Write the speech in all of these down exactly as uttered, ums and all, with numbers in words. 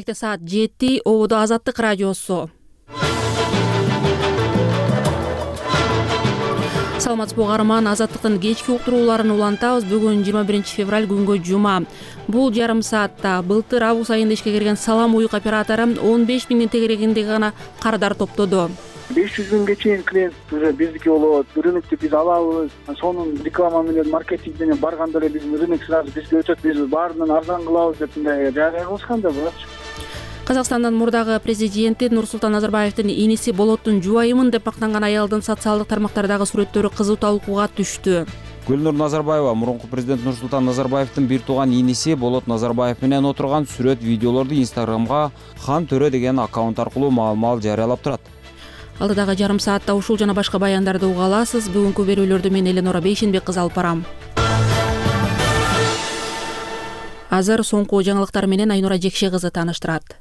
Бишкекте саат жети. Ободо Азаттык радиосу. Саламатсызбы угарман, Азаттыктын кечки уктурууларын улантабыз. Бүгүн жыйырма биринчи февраль күнгө жума. Бул жарым саатта былтыр август айында ишке кирген Салам уюк оператору он беш миңдин тегерегинде гана кардар топтоду. беш жүз миңге чейин клиент уже биздики болот. Рынокту биз алабыз. Сонун реклама менен, маркетинг менен барганда эле биздин рынок сразу бизге өтөт. Биз баарынан арзан кылабыз деп мындай жарыя кылышкан да буларчы. Казакстандын мурдагы президенти Нурсултан Назарбаевдин иниси Болоттун жубайымын деп мактанган аялдын социалдык тармактардагы сүрөттөрү кызуу талкууга түштү. Гүлнур Назарбаева мурунку президент Нурсултан Назарбаевдин бир тууган иниси Болот Назарбаев менен отурган сүрөт видеолорду Инстаграмга Хан Төрө деген аккаунт аркылуу маал-маал жарыялап турат. Алдыдагы жарым саатта ушул жана башка баяндарды уга аласыз. Бүгүнкү берүүлөрдү мен Эленора Бейшенбек кызы алып барам. Азыр соңку жаңылыктар менен Айнура Жекше кызы тааныштырат.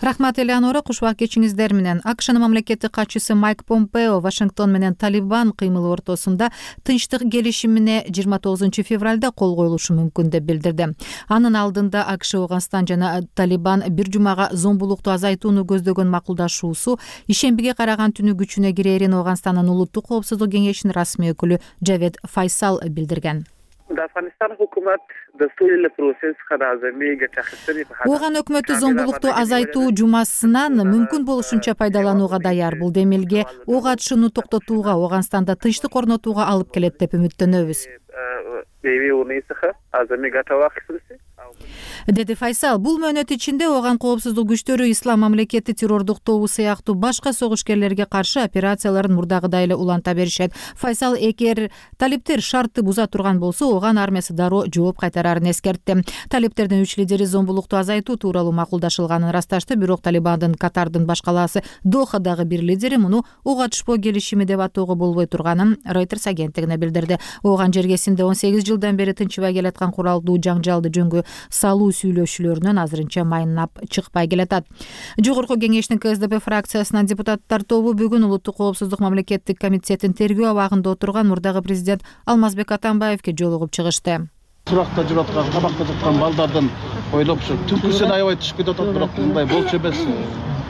Рахмат, Элеонора. Кушубак кечиңиздер менен. АКШнын мамлекеттик катчысы Майк Помпео Вашингтон менен Талибан кыймылы ортосунда тынчтык келишимине жыйырма тогузунчу февралда кол коюлушу мүмкүн деп билдирди. Анын алдында АКШ, Ооганстан жана Талибан бир жумага зомбулукту азайтууну көздөгөн макулдашуусу ишембиге караган түнү күчүнө кирерин Ооганстандын улуттук коопсуздук кеңешинин расмий өкүлү Джавед Файсал билдирген. Ооган өкмөтү зомбулукту азайтуу жумасынан мүмкүн болушунча пайдаланууга даяр. Бул демилге ок атышууну токтотууга, Ооганстанда тынчтык орнотууга алып келет деп үмүттөнөбүз, деди Файсал. Бул мөөнөт ичинде Ооган коопсуздук күчтөрү Ислам мамлекети террордук тобу сыяктуу башка согушкерлерге каршы операцияларын мурдагыдай эле уланта беришет. Файсал эгер талиптер шартты буза турган болсо, Ооган армиясы дароо жооп кайтарарын эскертти. Талиптердин үч лидери зомбулукту азайтуу тууралуу макулдашылганын ырасташты, бирок Талибандын Катардын башкалаасы Дохадагы бир лидери муну ок атышпоо келишими деп атоого болбой турганын Reuters агенттигине билдирди. Ооган жергесинде он сегиз жылдан бери тынчыбай келаткан куралдуу жаңжалды жөнгө салуу сүйлөшүүлөрүнөн азырынча майнап чыкпай келатат. Жогорку кеңештин КСДП фракциясынан депутаттар тобу бүгүн Улуттук коопсуздук мамлекеттик комитетин тергөө абагында отурган мурдагы президент Алмазбек Атамбаевге жолугуп чыгышты. Суракта жүрүп аткан, кабакта жаткан балдардын ойлоп ушу түнкүсүн аябай түшүп кетип атат, бирок мындай болчу эмес.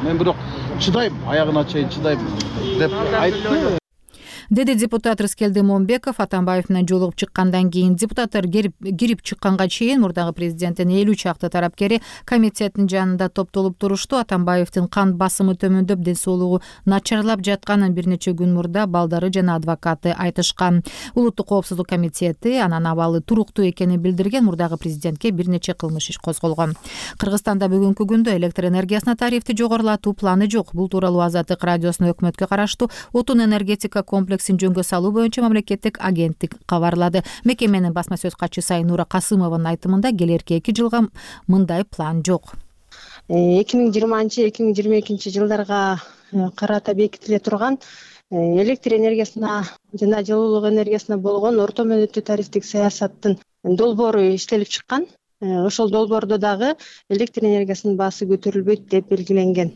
Мен бирок чыдайм, аягына чейин чыдайм деп айтты, деди депутат Рыскелди Момбеков. Атамбаев менен жолугуп чыккандан кийин депутаттар кирип чыкканга чейин мурдагы президенттин элүү чакты тарапкери комитеттин жанында топтолуп турушту. Атамбаевдин кан басымы төмөндөп, ден соолугу начарлап жатканын бир нече күн мурда балдары жана адвокаты айтышкан. Улуттук коопсуздук комитети анын абалы туруктуу экенин билдирген. Мурдагы президентке бир нече кылмыш иш козголгон. Кыргызстанда бүгүнкү күндө электр энергиясына тарифти жогорулатуу планы жок. Бул тууралуу Азаттык радиосунун өкмөткө караштуу отун энергетика комплекс жөнгө салуу боюнча мамлекеттик агенттик кабарлады. Мекеменин басма сөз катчысы Айнура Касымованын айтымында келерки эки жылга мындай план жок. эки миң жыйырманчы эки миң жыйырма экинчи жылдарга карата бекитиле турган электр энергиясына жана жылуулук энергиясына болгон орто мөөнөттүү тарифтик саясаттын долбоору иштелип чыккан. Ошол долбоордо дагы электр энергиясынын баасы көтөрүлбөйт деп белгиленген.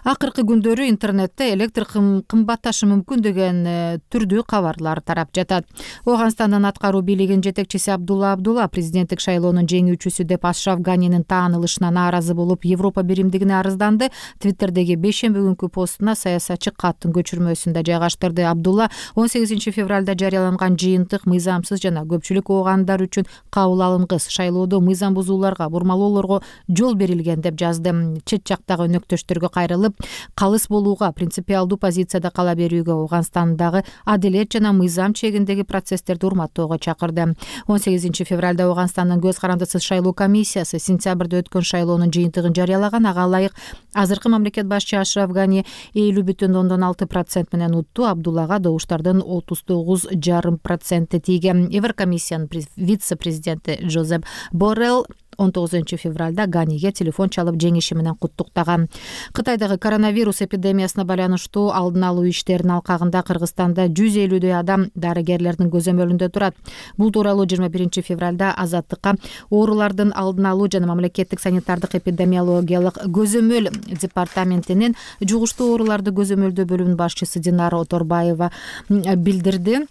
Акыркы күндөрү интернетте электр кымбатташы мүмкүн деген түрдүү кабарлар тарап жатат. Ооганстандын аткаруу бийлигинин жетекчиси Абдулла Абдулла президенттик шайлоонун жеңүүчүсү деп Ашраф Ганинин таанылышына нааразы болуп, Европа биримдигине арызданды. Твиттердеги бейшемби күнкү постуна саясатчы каттын көчүрмөсүн да жайгаштырды. Абдулла он сегизинчи февралда жарыяланган жыйынтык мыйзамсыз жана көпчүлүк оогандар үчүн кабыл алынгыс, шайлоодо мыйзам бузууларга, бурмалоолорго жол берилген деп жазды. Чет жактагы өнөктөштөргө кайрылып, калыс болууга, принципиалдуу позицияда кала берүүгө, Ооганстандагы адилет жана мыйзам чегиндеги процесстерди урматтоого чакырды. он сегизинчи февралда Ооганстандын көз карандысыз шайлоо комиссиясы сентябрда өткөн шайлоонун жыйынтыгын жарыялаган. Ага ылайык азыркы мамлекет башчы Ашраф Гани элүү бүтүн ондон алты процент менен утту. Абдуллага добуштардын отуз тогуз жарым проценти тийген. Еврокомиссиянын вице-президенти Жозеп Боррелл он тогузунчу февралда Ганиге телефон чалып жеңиши менен куттуктаган. Кытайдагы коронавирус эпидемиясына байланыштуу алдын алуу иштеринин алкагында Кыргызстанда жүз элүүдөй адам дарыгерлердин көзөмөлүндө турат. Бул тууралуу жыйырма биринчи февралда Азаттыкка оорулардын алдын алуу жана мамлекеттик санитардык эпидемиологиялык көзөмөл департаментинин жугуштуу ооруларды көзөмөлдөө бөлүмүнүн башчысы Динара Оторбаева билдирди.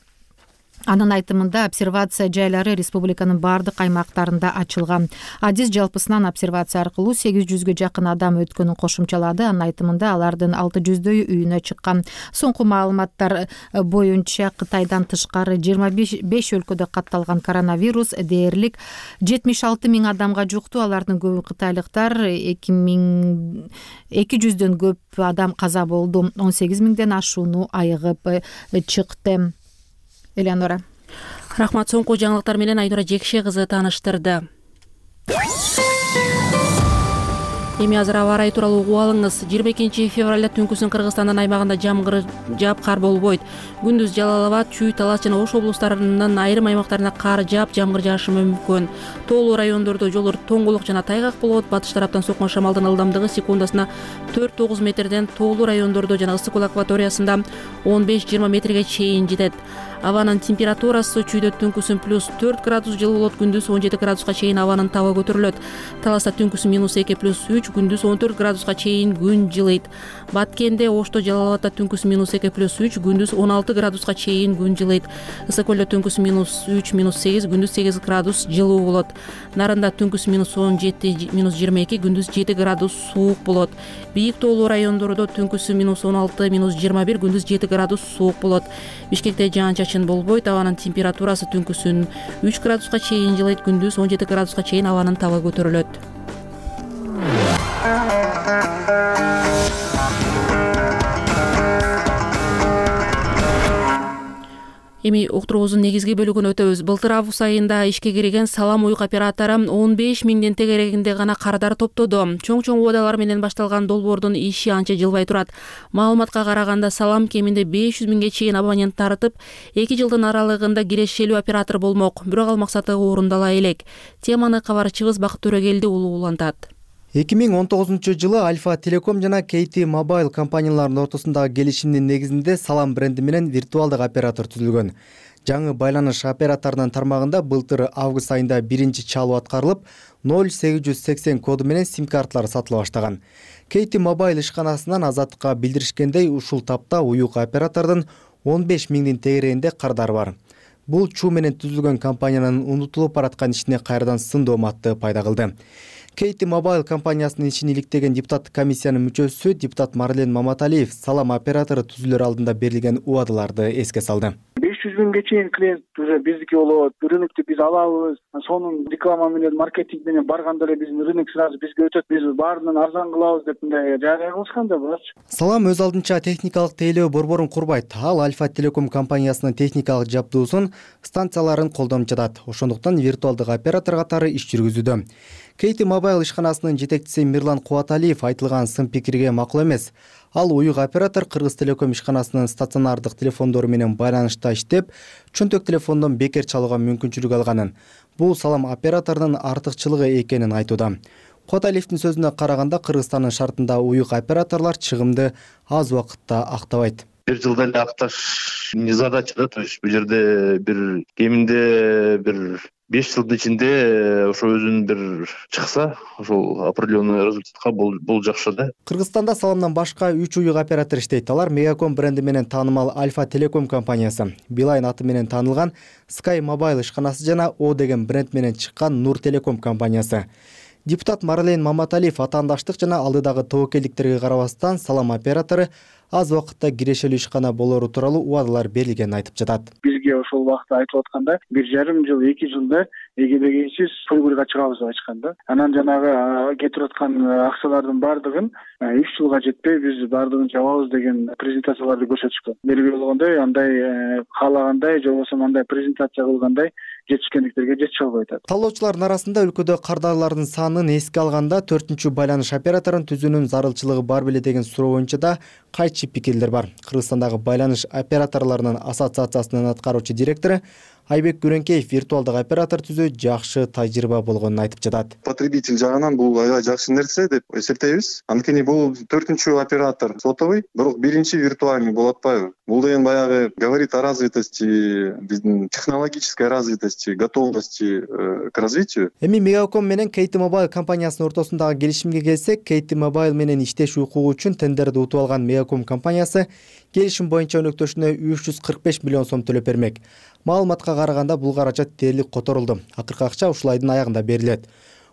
Анын айтымында обсервация жайлары республиканын баардык аймактарында ачылган. Адис жалпысынан обсервация аркылуу сегиз жүзгө жакын адам өткөнүн кошумчалады. Анын айтымында алардын алты жүздөйү үйүнө чыккан. Соңку маалыматтар боюнча Кытайдан тышкары жыйырма беш өлкөдө катталган коронавирус дээрлик жетимиш алты миң адамга жукту. Алардын көбү кытайлыктар. эки жүздөн көп адам каза болду. он сегиз миңден ашууну айыгып чыкты. Элеонора. Рахмат. Соңку жаңылыктар менен Айнура Жекше кызы тааныштырды. Эми азыр аба ырайы тууралуу угуп алыңыз. жыйырма экинчи февралда түнкүсүн Кыргызстандын аймагында жамгыр жаап кар болбойт. Күндүз Жалал Абад, Чүй, Талас жана Ош облустарынын айрым аймактарына кар жаап, жамгыр жаашы мүмкүн. Тоолуу райондордо жолдор тоңголук жана тайгак болот. Батыш тараптан соккон шамалдын ылдамдыгы секундасына төрт тогуз метрден, тоолуу райондордо жана ысык көл акваториясында он беш жыйырма метрге чейин жетет. Абанын температурасы Чүйдө түнкүсүн плюс төрт градус жылы болот, күндүз он жети градуска чейин абанын табы көтөрүлөт. Таласта түнкүсүн минус эки плюс үч, күндүз он төрт градуска чейин күн жылыйт. Баткенде, Ошто, Жалал Абадда түнкүсүн минус эки плюс үч, күндүз он алты градуска чейин күн жылыйт. Ысык көлдө түнкүсүн минус үч минус сегиз, күндүз сегиз градус жылуу болот. Нарында түнкүсүн минус он жети минус жыйырма эки, күндүз жети градус суук болот. Бийик тоолуу райондордо түнкүсүн минус он алты минус жыйырма бир, күндүз жети градус суук болот. Бишкекте жаан-чачын болбойт. Абанын температурасы түнкүсүн үч градуска чейин жылыйт, күндүз он жети градуска чейин абанын табы көтөрүлөт. Эми уктуруубуздун негизги бөлүгүн өтөбүз. Былтыр август айында ишке кирген Салам уюк оператору он беш миңден тегерегинде гана кардар топтоду. Чоң-чоң убадалар менен башталган долбоордун иши анча жылбай турат. Маалыматка караганда Салам кеминде беш жүз миңге чейин абонент тартып, эки жылдын аралыгында кирешелүү оператор болмок. Бирок ал максаты орундала элек. Теманы кабарчыбыз Бакыт Төрөгелди улуулантат. эки миң он тогузунчу жылы Альфа Телеком жана кей ти Mobile компанияларынын ортосундагы келишимдин негизинде Салам бренди менен виртуалдык оператор түзүлгөн. Жаңы байланыш операторунун тармагында былтыр август айында биринчи чалуу аткарылып, ноль сегиз жүз сексен коду менен сим-карталар сатыла баштаган. кей ти Mobile ишканасынан Азаттыкка билдиришкендей, ушул тапта уюк оператордун он беш миңдин тегерегинде кардары бар. Бул чуу менен түзүлгөн компаниянын унутулуп бараткан ишине кайрадан сын дооматты пайда кылды. кей ти Mobile компаниясынын ишин иликтеген депутаттык комиссиянын мүчөсү депутат Марлен Маматалиев Салам оператору түзүлөр алдында берилген убадаларды эске салды. беш жүз миңге чейин клиент уже биздики болот, рынокту биз алабыз. Сонун реклама менен, маркетинг менен барганда эле биздин рынок сразу бизге өтөт. Биз баарынан арзан кылабыз деп мындай жарыя кылышкан да буларчы. Салам өз алдынча техникалык тейлөө борборун курбайт. Ал Альфа Телеком компаниясынын техникалык жабдуусун, станцияларын колдонуп жатат. Ошондуктан виртуалдык оператор катары иш жүргүзүүдө. кей ти Mobile ишканасынын жетекчиси Мирлан Кубаталиев айтылган сын пикирге макул эмес. Ал уюк оператор Кыргыз Телеком ишканасынын стационардык телефондору менен байланышта иштеп, чөнтөк телефондон бекер чалууга мүмкүнчүлүк алганын. Бул Салам операторунун артыкчылыгы экенин айтууда. Кубаталиевдин сөзүнө караганда, Кыргызстандын шартында уюк операторлор чыгымды аз убакытта актабайт. Бир жылда эле акташ не задача да, то есть бул жерде бир кеминде бир беш жылдын ичинде ошо өзүнүн бир чыкса, ошол определенный результатка бул жакшы да. Кыргызстанда Саламдан башка үч уюк оператор иштейт. Алар Мегаком бренди менен таанымал Альфа Телеком компаниясы, Билайн аты менен таанылган Sky Mobile ишканасы жана О деген бренд менен чыккан Нур Телеком компаниясы. Депутат Марлен Маматалиев атаандаштык жана алдыдагы тобокелдиктерге карабастан Салам оператору аз убакытта кирешелүү ишкана болору тууралуу убадалар берилгенин айтып жатат. Бизге ошол убакта айтып атканда бир жарым жыл, эки жылда эгебегенсиз көйгөйгө чыгабыз деп айткан да. Анан жанагы кетип аткан акчалардын баардыгын үч жылга жетпей биз баардыгын жабабыз деген презентацияларды көрсөтүшкөн. Белгилүү болгондой, андай каалагандай же болбосо андай презентация кылгандай жетишкендиктерге жете албай атат. Талоочулардын арасында өлкөдө кардарлардын санын эске алганда төртүнчү байланыш операторун түзүүнүн зарылчылыгы бар беле деген суроо боюнча да кайчы пикирлер бар. Кыргызстандагы байланыш операторлорунун ассоциациясынын аткаруучу директору Айбек Күрөнкеев виртуалдык оператор түзүү жакшы тажрыйба болгонун айтып жатат. Потребитель жагынан бул аябай жакшы нерсе деп эсептейбиз. Анткени бул төртүнчү оператор сотовый, бирок биринчи виртуальный болуп атпайбы? Бул деген баягы говорит о развитости, биздин технологической развитости, готовности к развитию. Эми Мегаком менен кей ти Mobile компаниясынын ортосундагы келишимге келсек, кей ти Mobile менен иштеш укугу үчүн тендерди утуп алган Мегаком компаниясы келишим боюнча өнөктөшүнө үч жүз кырк беш миллион сом төлөп бермек. Маалыматка караганда бул каражат дээрлик которулду. Акыркы акча ушул айдын аягында берилет.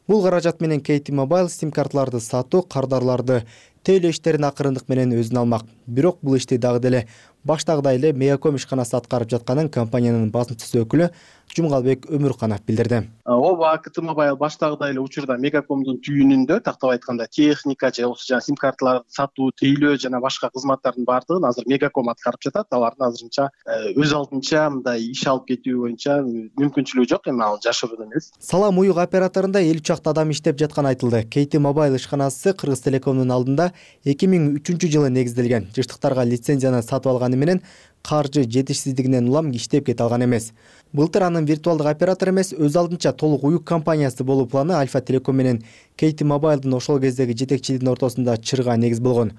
Бул каражат менен Кейти Мобайл сим карталарды сатуу, кардарларды тейлөө иштерин акырындык менен өзүнө алмак. Бирок бул ишти дагы деле баштагыдай эле Мегаком ишканасы аткарып жатканын компаниянын басымчысы өкүлү Жумгалбек Өмүрканов билдирди. Ооба, Кейти Мобайл баштагыдай эле учурда Мегакомдун түйүнүндө, тактап айтканда, техника же болбосо жана сим карталарды сатуу, тейлөө жана башка кызматтардын баардыгын азыр Мегаком аткарып жатат. Алардын азырынча өз алдынча мындай иш алып кетүү боюнча мүмкүнчүлүгү жок, эми ал жашырууда эмес. Салам уюк операторунда элүү чакты адам иштеп жатканы айтылды. Кейти Мобайл ишканасы Кыргыз Телекомдун алдында эки миң үчүнчү жылы негизделген. Жыштыктарга лицензияны сатып алганы менен каржы жетишсиздигинен улам иштеп кете алган эмес. Былтыр анын виртуалдык оператор эмес, өз алдынча толук уюк компаниясы болуу планы Альфа Телеком менен Кейти Мобайлдын ошол кездеги жетекчилигинин ортосунда чырга негиз болгон.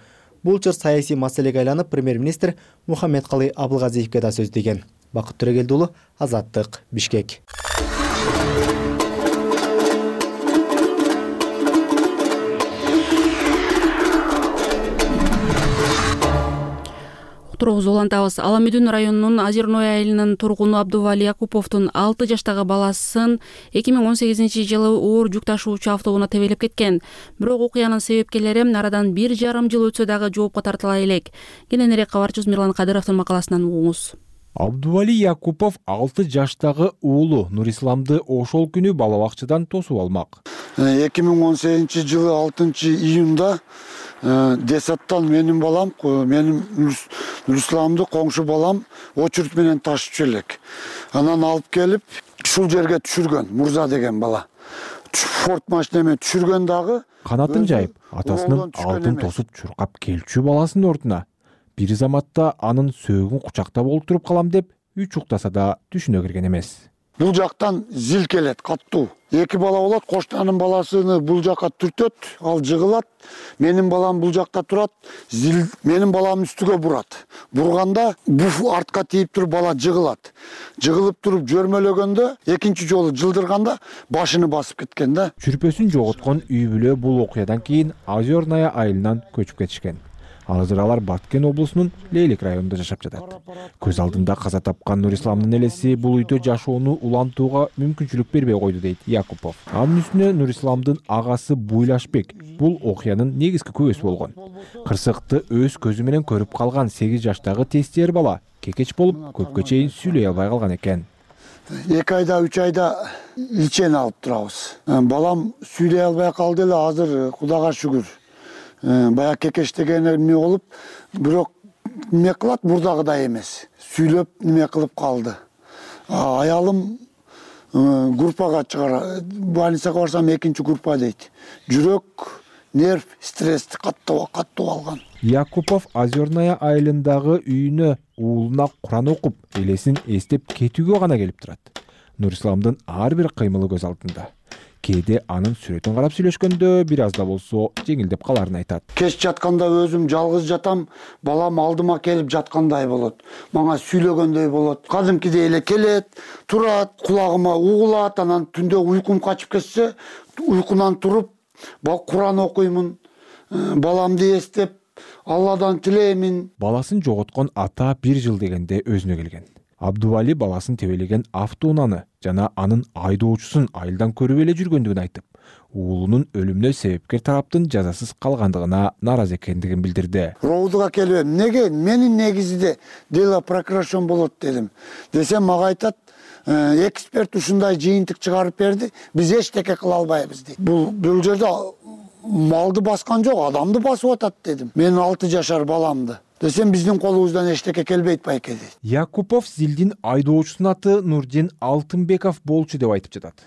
Бул чыр саясий маселеге айланып, премьер-министр Мухаммедкалый Абылгазиевке да сөз тийген. Бакыт Төрөгелди уулу, Азаттык, Бишкек. Тургузуп улантабыз. Аламүдүн районунун Озерной айылынын тургуну Абдували Якуповдун алты жаштагы баласын эки миң он сегизинчи жылы оор жүк ташуучу автобуна тебелеп кеткен. Бирок окуянын себепкерлери арадан бир жарым жыл өтсө дагы жоопко тартыла элек. Кененирээк кабарчыбыз Мирлан Кадыровдун макаласынан угуңуз. Абдували Якупов алты жаштагы уулу Нурисламды ошол күнү бала бакчадан тосуп алмак. эки миң он сегизинчи жылы алтынчы июнда Десаттан менин балам, менин Нурисламды коңшу балам очурт менен ташып элек. Анан алып келип, ушул жерге түшүргөн, Мурза деген бала. Форд машина менен түшүргөн дагы канатын жайып, атасынын алтын тосуп чуркап келчү баласынын ордуна бир заматта анын сөөгүн кучактап олтуруп калам деп үч уктаса да түшүнө кирген эмес. Бул жактан зил келет, каттуу. Эки бала болот, коштанын баласыны бул жакка түртөт, ал жыгылат. Менин балам бул жакта турат, зил менин балам үстүгө бурат. Бурганда буф артка тийип туруп бала жыгылат. Жыгылып туруп жөрмөлөгөндө, экинчи жолу жылдырганда башыны басып кеткен да. Чүрпөсүн жоготкон үй бүлө бул окуядан кийин Озерная айылынан көчүп кетишкен. Азыр алар Баткен облусунун Лейлик районунда жашап жатат. Көз алдында каза тапкан Нурисламдын элеси бул үйдө жашоону улантууга мүмкүнчүлүк бербей койду дейт Якупов. Анын үстүнө Нурисламдын агасы Буйлашбек бул окуянын негизги күбөсү болгон. Кырсыкты өз көзү менен көрүп калган сегиз жаштагы тестер бала кекеч болуп көпкө чейин сүйлөй албай калган экен. эки айда, үч айда личен алып турабыз. Балам сүйлөй албай калды эле, азыр Кудайга шүгүр. Бая кекештеген эме болуп, бирок неме кылат, мурдагыдай эмес. Сүйлөп неме кылып калды. Аялым группага чыгара, больницага барсам экинчи группа дейт. Жүрөк, нерв, стрессти каттуу каттуу алган. Якупов Озерная айылындагы үйүнө уулуна Куран окуп, элесин эстеп кетүүгө гана келип турат. Нурисламдын ар бир кыймылы көз алдында. Кээде анын сүрөтүн карап сүйлөшкөндө бир аз да болсо жеңилдеп каларын айтат. Кеч жатканда өзүм жалгыз жатам, балам алдыма келип жаткандай болот. Мага сүйлөгөндөй болот. Кадимкидей эле келет, турат, кулагыма угулат, анан түндө уйкум качып кетсе, уйкунан туруп, Куран окуймун, баламды эстеп, Алладан тилеймин. Баласын жоготкон ата бир жыл дегенде өзүнө келген. Абдували баласын тебелеген автоунааны жана анын айдоочусун айылдан көрүп эле жүргөндүгүн айтып, уулунун өлүмүнө себепкер тараптын жазасыз калгандыгына нааразы экендигин билдирди. Роудуга келип, неге менин негизинде дело прекращен болот дедим. Десем мага айтат, эксперт ушундай жыйынтык чыгарып берди, биз эчтеке кыла албайбыз дейт. Бул бул жерде малды баскан жок, адамды басып атат дедим. Менин алты жашар баламды. Десем биздин колубуздан эчтеке келбейт байке дейт. Якупов зилдин айдоочусунун аты Нурдин Алтынбеков болчу деп айтып жатат.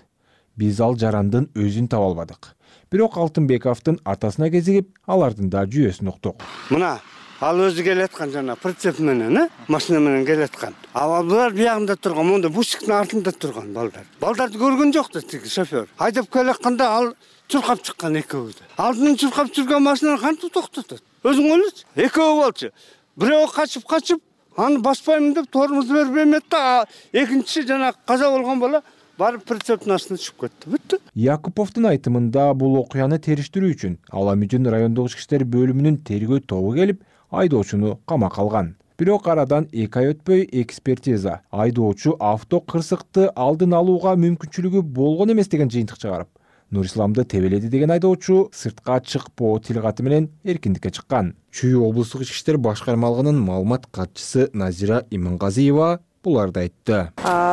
Биз ал жарандын өзүн таба албадык. Бирок Алтынбековдун атасына кезигип, алардын да жүйөсүн уктук. Мына ал өзү келаткан жана прицеп менен, э, машина менен келаткан. А булар биягында турган, монда бусиктин артында турган балдар. Балдарды көргөн жок да тиги шофер. Айдап келатканда ал чуркап чыккан экөөбү. Алдынан чуркап жүргөн машинаны кантип токтотот? Өзүң ойлочу. Экөө болчу. Бирөө качып качып, аны баспаймын деп тормоз берип эмет да, экинчи жана каза болгон бала барып прицептин астына түшүп кетти. Бүттү. Якуповдун айтымында бул окуяны териштирүү үчүн Аламүдүн райондук ички иштер бөлүмүнүн тергөө тобу келип, айдоочуну камакка алган. Бирок арадан эки ай өтпөй экспертиза айдоочу авто кырсыкты алдын алууга мүмкүнчүлүгү болгон эмес деген жыйынтык чыгарып, Нурисламды тебеледи деген айдоочу сыртка чыкпоо тилкаты менен эркиндикке чыккан. Чүй облустук ички иштер башкармалыгынын маалымат катчысы Назира Имангазиева буларды айтты.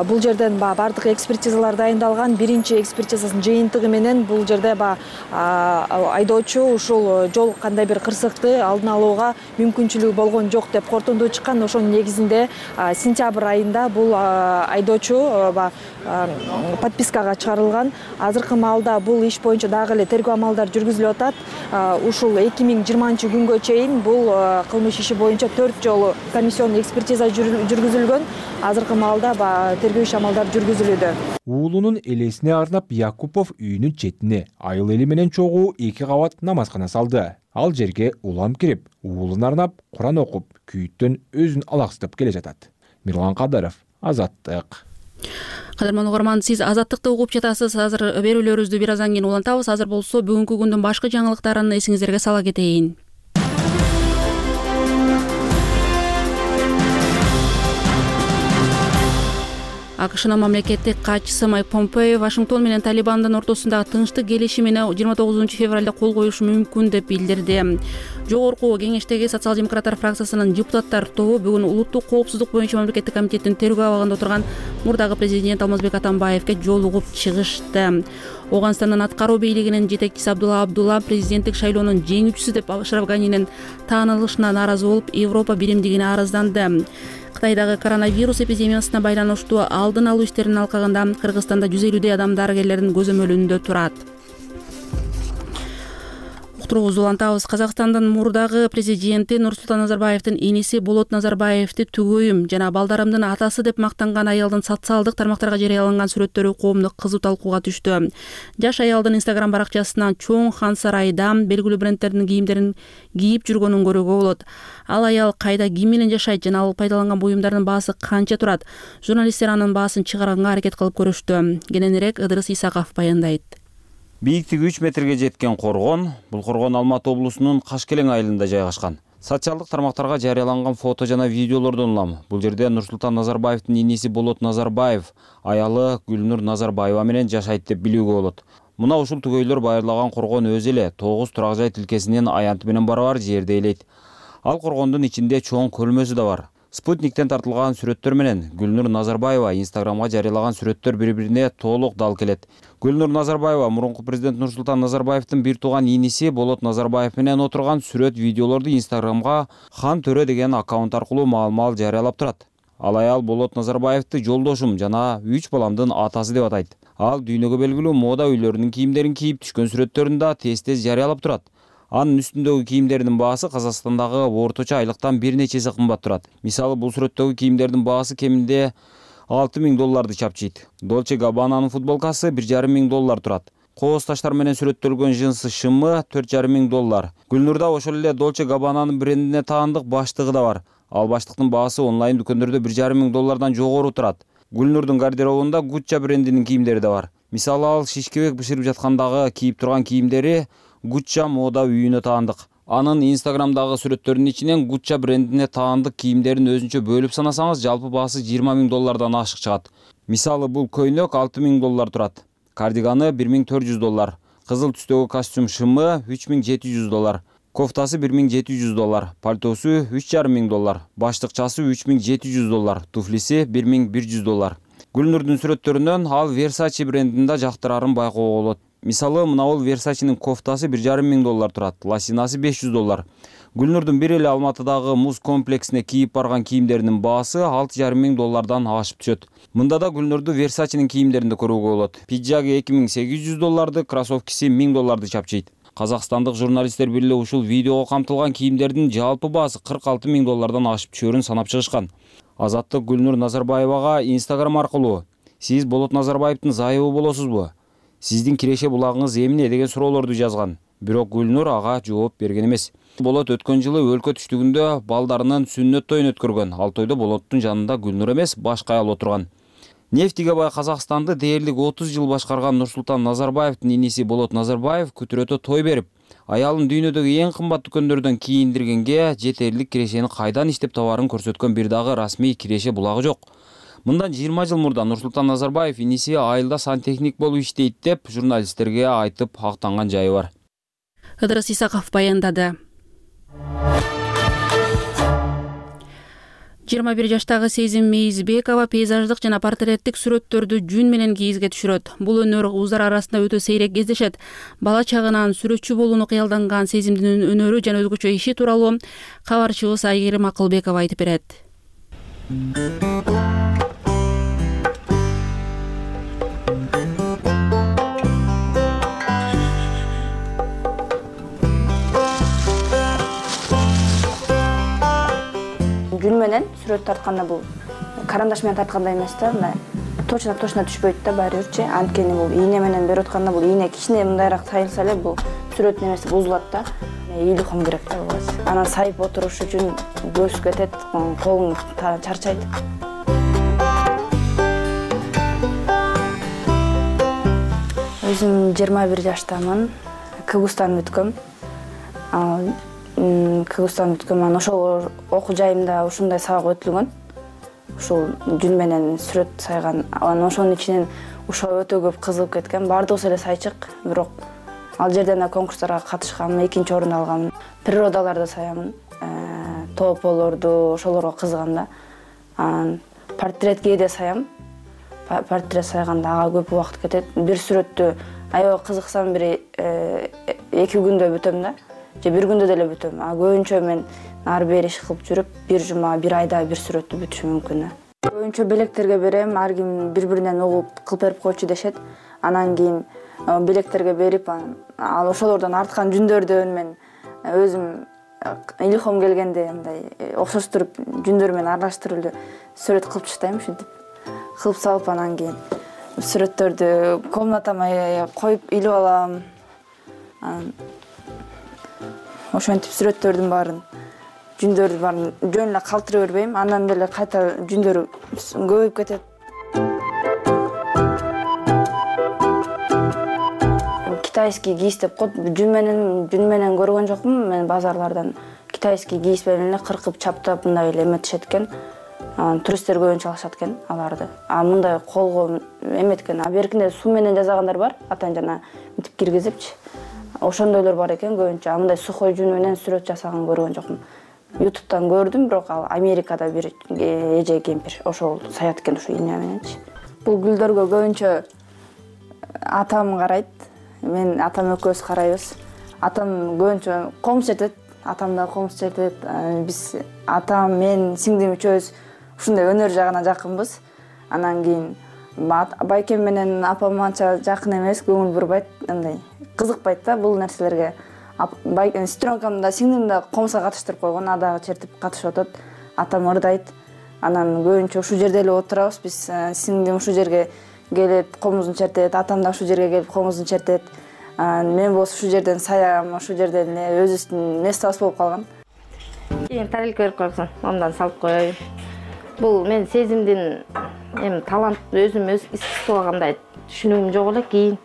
Бул жерден бардык экспертизалар дайындалган. Биринчи экспертизанын жыйынтыгы менен бул жерде айдоочу ушул жол кандай бир кырсыкты алдын алууга мүмкүнчүлүгү болгон жок деп корутунду чыккан. Ошонун негизинде сентябрь айында бул айдоочу подпискага чыгарылган. Азыркы маалда бул иш боюнча дагы эле тергөө амалдары жүргүзүлүп атат. Ушул эки миң жыйырманчы күнгө чейин бул кылмыш иши боюнча төрт жолу комиссионный экспертиза жүргүзүлгөн. Азыркы маалда тергөө иш амалдары жүргүзүлүүдө. Уулунун элесине арнап Якупов үйүнүн четине айыл эли менен чогуу эки кабат намазкана салды. Ал жерге улам кирип, уулун арнап Куран окуп, күйүттөн өзүн алаксытып келе жатат. Мирлан Кадыров, Азаттык. Кадырман угарман, сиз Азаттыкты угуп жатасыз. Азыр берүүлөрүбүздү бир аздан кийин улантабыз. Азыр болсо бүгүнкү күндүн башкы жаңылыктарын эсиңиздерге сала кетейин. АКШнын мамлекеттик катчысы Майк Помпео Вашингтон менен Талибандын ортосундагы тынчтык келишимине жыйырма тогузунчу февралда кол коюшу мүмкүн деп билдирди. Жогорку кеңештеги социал-демократтар фракциясынын депутаттар тобу бүгүн улуттук коопсуздук боюнча мамлекеттик комитеттин тергөө абагында отурган мурдагы президент Алмазбек Атамбаевге жолугуп чыгышты. Оганстандын аткаруу бийлигинин жетекчиси Абдулла Абдулла президенттик шайлоонун жеңүүчүсү деп Ашраф Ганинин таанылышына нааразы болуп, Европа биримдигине арызданды. Кытайдагы коронавирус эпидемиясына байланыштуу алдын алуу иштеринин алкагында Кыргызстанда жүз элүүдөй адам дарыгерлердин көзөмөлүндө турат. Уктуруубузду улантабыз. Казакстандын мурдагы президенти Нурсултан Назарбаевдин иниси Болот Назарбаевди түгөйүм жана балдарымдын атасы деп мактанган аялдын социалдык тармактарга жарыяланган сүрөттөрү коомдук кызуу талкууга түштү. Жаш аялдын Instagram баракчасынан чоң хан сарайда белгилүү брендтердин кийимдерин кийип жүргөнүн көрүүгө болот. Ал аял кайда, ким менен жашайт жана ал пайдаланган буюмдардын баасы канча турат? Журналисттер анын баасын чыгарганга аракет кылып көрүштү. Кененирээк Ыдырыс Исаков баяндайт. Бийиктиги үч метрге жеткен коргон, бул коргон Алматы облусунун Кашкелең айылында жайгашкан. Социалдык тармактарга жарыяланган фото жана видеолордон улам бул жерде Нурсултан Назарбаевдин иниси Болот Назарбаев, аялы Гүлнур Назарбаева менен жашайт деп билүүгө болот. Мына ушул түгөйлөр байырлаган коргон өзү эле тогуз турак жай тилкесинин аянты менен барабар жерде элейт. Ал коргондун ичинде чоң көлмөсү да бар. Спутниктен тартылган сүрөттөр менен Гүлнур Назарбаева Инстаграмга жарыялаган сүрөттөр бири-бирине толук дал келет. Гүлнур Назарбаева мурунку президент Нурсултан Назарбаевдин бир тууган иниси Болот Назарбаев менен отурган сүрөт видеолорду Инстаграмга Хан Төрө деген аккаунт аркылуу маал-маал жарыялап турат. Ал аял Болот Назарбаевди жолдошум жана үч баламдын атасы деп атайт. Ал дүйнөгө белгилүү мода үйлөрүнүн кийимдерин кийип түшкөн сүрөттөрүн да тез-тез жарыялап турат. Анын үстүндөгү кийимдердин баасы Казакстандагы орточо айлыктан бир нече эсе кымбат турат. Мисалы, бул сүрөттөгү кийимдердин баасы кеминде алты миң долларды чапчыйт. Dolce Gabbana'нын футболкасы бир жарым миң доллар турат. Кооз таштар менен сүрөттөлгөн жынсы шымы төрт жарым миң доллар. Гүлнурда ошол эле Dolce Gabbana'нын брендине таандык баштыгы да бар. Ал баштыктын баасы онлайн дүкөндөрдө бир жарым миң доллардан жогору турат. Гүлнурдун гардеробунда Gucci брендинин кийимдери да бар. Мисалы, ал шишкебек бышырып жаткандагы кийип турган кийимдери Gucci мода үйүнө таандык. Анын Инстаграмдагы сүрөттөрүнүн ичинен Gucci брендине таандык кийимдерин өзүнчө бөлүп санасаңыз, жалпы баасы жыйырма миң доллардан ашык чыгат. Мисалы, бул көйнөк алты миң доллар турат. Кардиганы бир миң төрт жүз доллар. Кызыл түстөгү костюм шымы үч миң жети жүз доллар. Кофтасы бир миң жети жүз доллар. Пальтосу үч жарым миң доллар. Баштыкчасы үч миң жети жүз доллар. Туфлиси бир миң бир жүз доллар. Гүлнурдун сүрөттөрүнөн ал Versace брендинде жактырарын байкоого болот. Мисалы, мына бул Versace'нин кофтасы бир жарым миң доллар турат, лосинасы беш жүз доллар. Гүлнурдун бир эле Алматыдагы муз комплексине кийип барган кийимдеринин баасы алты жарым миң доллардан ашып түшөт. Мында да Гүлнурду Versace'нин кийимдеринде көрүүгө болот. Пиджаги эки миң сегиз жүз долларды, кроссовкиси миң долларды чапчыйт. Казакстандык журналисттер бирге ушул видеого камтылган кийимдердин жалпы баасы кырк алты миң доллардан ашып түшөрүн санап чыгышкан. Азаттык Гүлнур Назарбаевага Инстаграм аркылуу: "Сиз Болот Назарбаевдин зайыбы болосузбу? Сиздин киреше булагыңыз эмне?" деген суроолорду жазган. Бирок Гүлнур ага жооп берген эмес. Болот өткөн жылы өлкө түштүгүндө балдарынын сүннөт тоюн өткөргөн. Ал тойдо Болоттун жанында Гүлнур эмес, башка аял отурган. Нефтиге бай Казакстанды дээрлик отуз жыл башкарган Нурсултан Назарбаевдин иниси Болот Назарбаев күтүрөтө той берип, Аялын дүйнөдөгү эң кымбат дүкөндөрдөн кийиндиргенге жетерлик кирешени кайдан иштеп табаарын көрсөткөн бир дагы расмий киреше булагы жок. Мындан жыйырма жыл мурда Нурсултан Назарбаев иниси айылда сантехник болуп иштейт деп журналисттерге айтып актанган жайы бар. Ыдырыс Исаков баяндады. жыйырма бир жаштагы Сезим Мейизбекова пейзаждык жана портреттик сүрөттөрдү жүн менен кийизге түшүрөт. Бул өнөр узар арасында өтө сейрек кездешет. Бала чагынан сүрөтчү болууну кыялданган Сезимдин өнөрү жана өзгөчө иши тууралуу кабарчыбыз Айгерим Акылбекова айтып берет. Жүн менен сүрөт тартканда бул карандаш менен тарткандай эмес да, мындай точно точно түшпөйт да баары бирчи. Анткени бул ийне менен берип атканда бул ийне кичине мындайраак сайылса эле бул сүрөттүн эмеси бузулат да. Илихом керек да бул. Анан сайып отуруш үчүн көз кетет, колуң чарчайт. Өзүм жыйырма бир жаштамын. Кыргызстан бүткөм. Кыргызстан бүткөм. Анан ошол окуу жайымда ушундай сабак өтүлгөн. Ушул жүн менен сүрөт сайган. Анан ошонун ичинен ушул өтө көп кызыгып кеткен. Бардыгыбыз эле сайчык, бирок ал жерден да конкурстарга катышкам, экинчи орун алгам. Природаларды саямын, тополорду, ошолорго кызыгам да. Анан портрет кээде саям. Портрет сайганда ага көп убакыт кетет. Бир сүрөттү аябай кызыксам бир эки күндө бүтөм да. Же бир күндө деле бүтөм. А көбүнчө мен ар бери иш кылып жүрүп, бир жума, бир айда бир сүрөттү бүтүшүм мүмкүн. Көбүнчө белектерге берем, ар ким бири-биринен угуп кылып берип койчу дешет. Анан кийин белектерге берип, ал ошолордон арткан жүндөрдөн мен өзүм илихом келгенде мындай окшоштуруп жүндөр менен аралаштырып сүрөт кылып таштайм, ушинтип кылып салып, анан кийин сүрөттөрдү комнатама коюп илип алам. Анан ошентип сүрөттөрдүн баарын, жүндөрдүн баарын жөн эле калтыра бербейм, андан деле кайта жүндөр көбөйүп кетет. Китайский кийиз деп коет, жүн менен жүн менен көргөн жокмун. Мен базарлардан китайский кийиз менен эле кыркып, чаптап мындай эле эметишет экен. Анан туристтер көбүнчө алышат экен аларды. А мындай колго эметкен, а беркинде суу менен жасагандар бар, атан жана мынтип киргизипчи. Ошондойлор бар экен көбүнчө. А мындай сухой жүн менен сүрөт жасаган көргөн жокмун. ютубтан көрдүм, бирок ал Америкада бир эже кемпир ошол саят экен ушу ийне мененчи. Бул гүлдөргө көбүнчө атам карайт. Мен атам экөөбүз карайбыз. Атам көбүнчө комуз чертет, атам да комуз чертет. Биз атам, мен, сиңдим үчөөбүз ушундай өнөр жагына жакынбыз. Анан кийин байкем менен апам анча жакын эмес, көңүл бурбайт, андай кызыкпайт да бул нерселерге. Сестренкам да сиңдим да комузга катыштырып койгон, адагы чертип катышып атат. Атам ырдайт. Анан көбүнчө ушул жерде эле отурабыз. Биз сиңдим ушул жерге келип комузун чертет, атам да ушул жерге келип комузун чертет. Мен болсо ушул жерден саям, ушул жерден эле өзүбүздүн местобуз болуп калган. Кийин тарелка берип койсоң, ондан салып коеюн. Бул мен сезимдин эми талант өзүм өз искусствого кандай түшүнүгүм жок эле. Кийин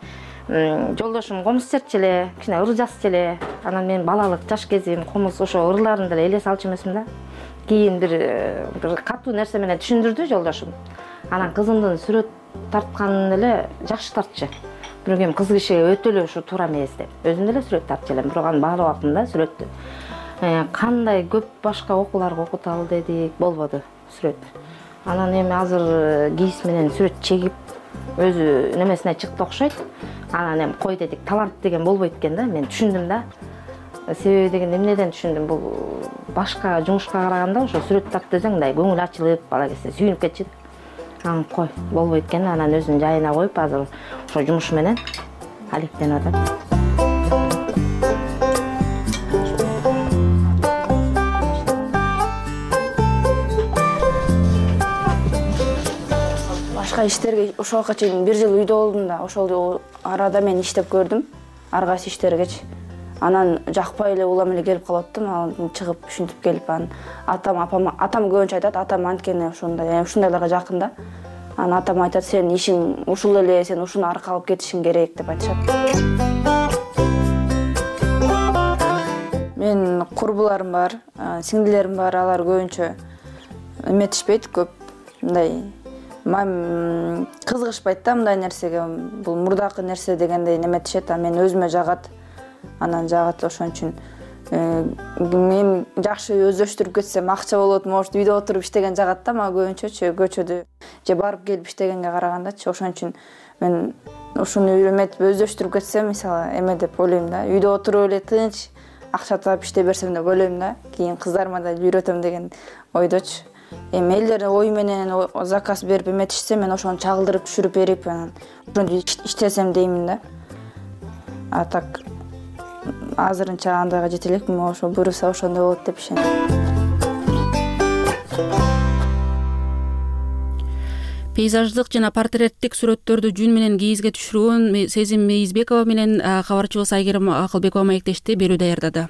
жолдошум комуз чертчү эле, кичине ыр жазчу эле. Анан мен балалык жаш кезим комуз ошо ырларын деле эле салчу эмесмин да. Кийин бир бир катуу нерсе менен түшүндүрдү жолдошум. Анан кызымдын сүрөт тартканын эле жакшы тартчу. Бирок эми кыз кишиге өтө эле ушу туура эмес деп. Өзүм деле сүрөт тартчу элем, бирок анын баалуу убактында сүрөттү кандай көп башка окууларга окуталы дедик, болбоду сүрөт. Анан эми азыр кийиз менен сүрөт чегип өзү немесине чыкты окшойт. Анан эми кой дедик, талант деген болбойт экен да, мен түшүндүм да. Себеби дегенде эмнеден түшүндүм, бул башка жумушка караганда ошо сүрөт тартып десең мындай көңүл ачылып, бала кезде сүйүнүп кетчү. Анан кой, болбойт экен, анан өзүнүн жайына коюп азыр ошо жумушу менен алектенип атат. Башка иштерге ошолго чейин бир жыл үйдө болдум да, ошол арада мен иштеп көрдүм, ар кайсы иштергечи. Анан жакпай эле улам эле келип калып аттым, анан чыгып ушинтип келип анан атам, апам, атам көбүнчө айтат, атам анткени ушундай, ушундайларга жакын да. Анан атам айтат, сен ишиң ушул эле, сен ушуну аркалап кетишиң керек деп айтышат. курбуларым бар, сиңдилерим бар, алар көбүнчө эметишпейт, көп мындай кызыгышпайт да мындай нерсеге. Бул мурдакы нерсе дегендей эметишет, а мен өзүмө жагат, анан жагат. Ошон үчүн мен жакшы өздөштүрүп кетсем акча болот, может үйдө отуруп иштеген жагат да, мага көбүнчөчү көчөдө же барып келип иштегенге карагандачы. Ошон үчүн мен ушуну үйрөнүп өздөштүрүп кетсем, мисалы эме деп ойлойм да, үйдө отуруп эле тынч акча таап иштей берсем деп ойлойм да, кийин кыздарыма да үйрөтөм деген ойдочу. Эми элдер ой менен заказ берип эметишсе, мен ошону чагылдырып түшүрүп берип, анан ошону иштесем деймин да. А так азырынча андайга жете элекмин, ошо буюрса ошондой болот деп ишенем. Пейзаждык жана портреттик сүрөттөрдү жүн менен кийизге түшүргөн Сезим Мейизбекова менен кабарчыбыз Айгерим Акылбекова маектешти, берүү даярдады.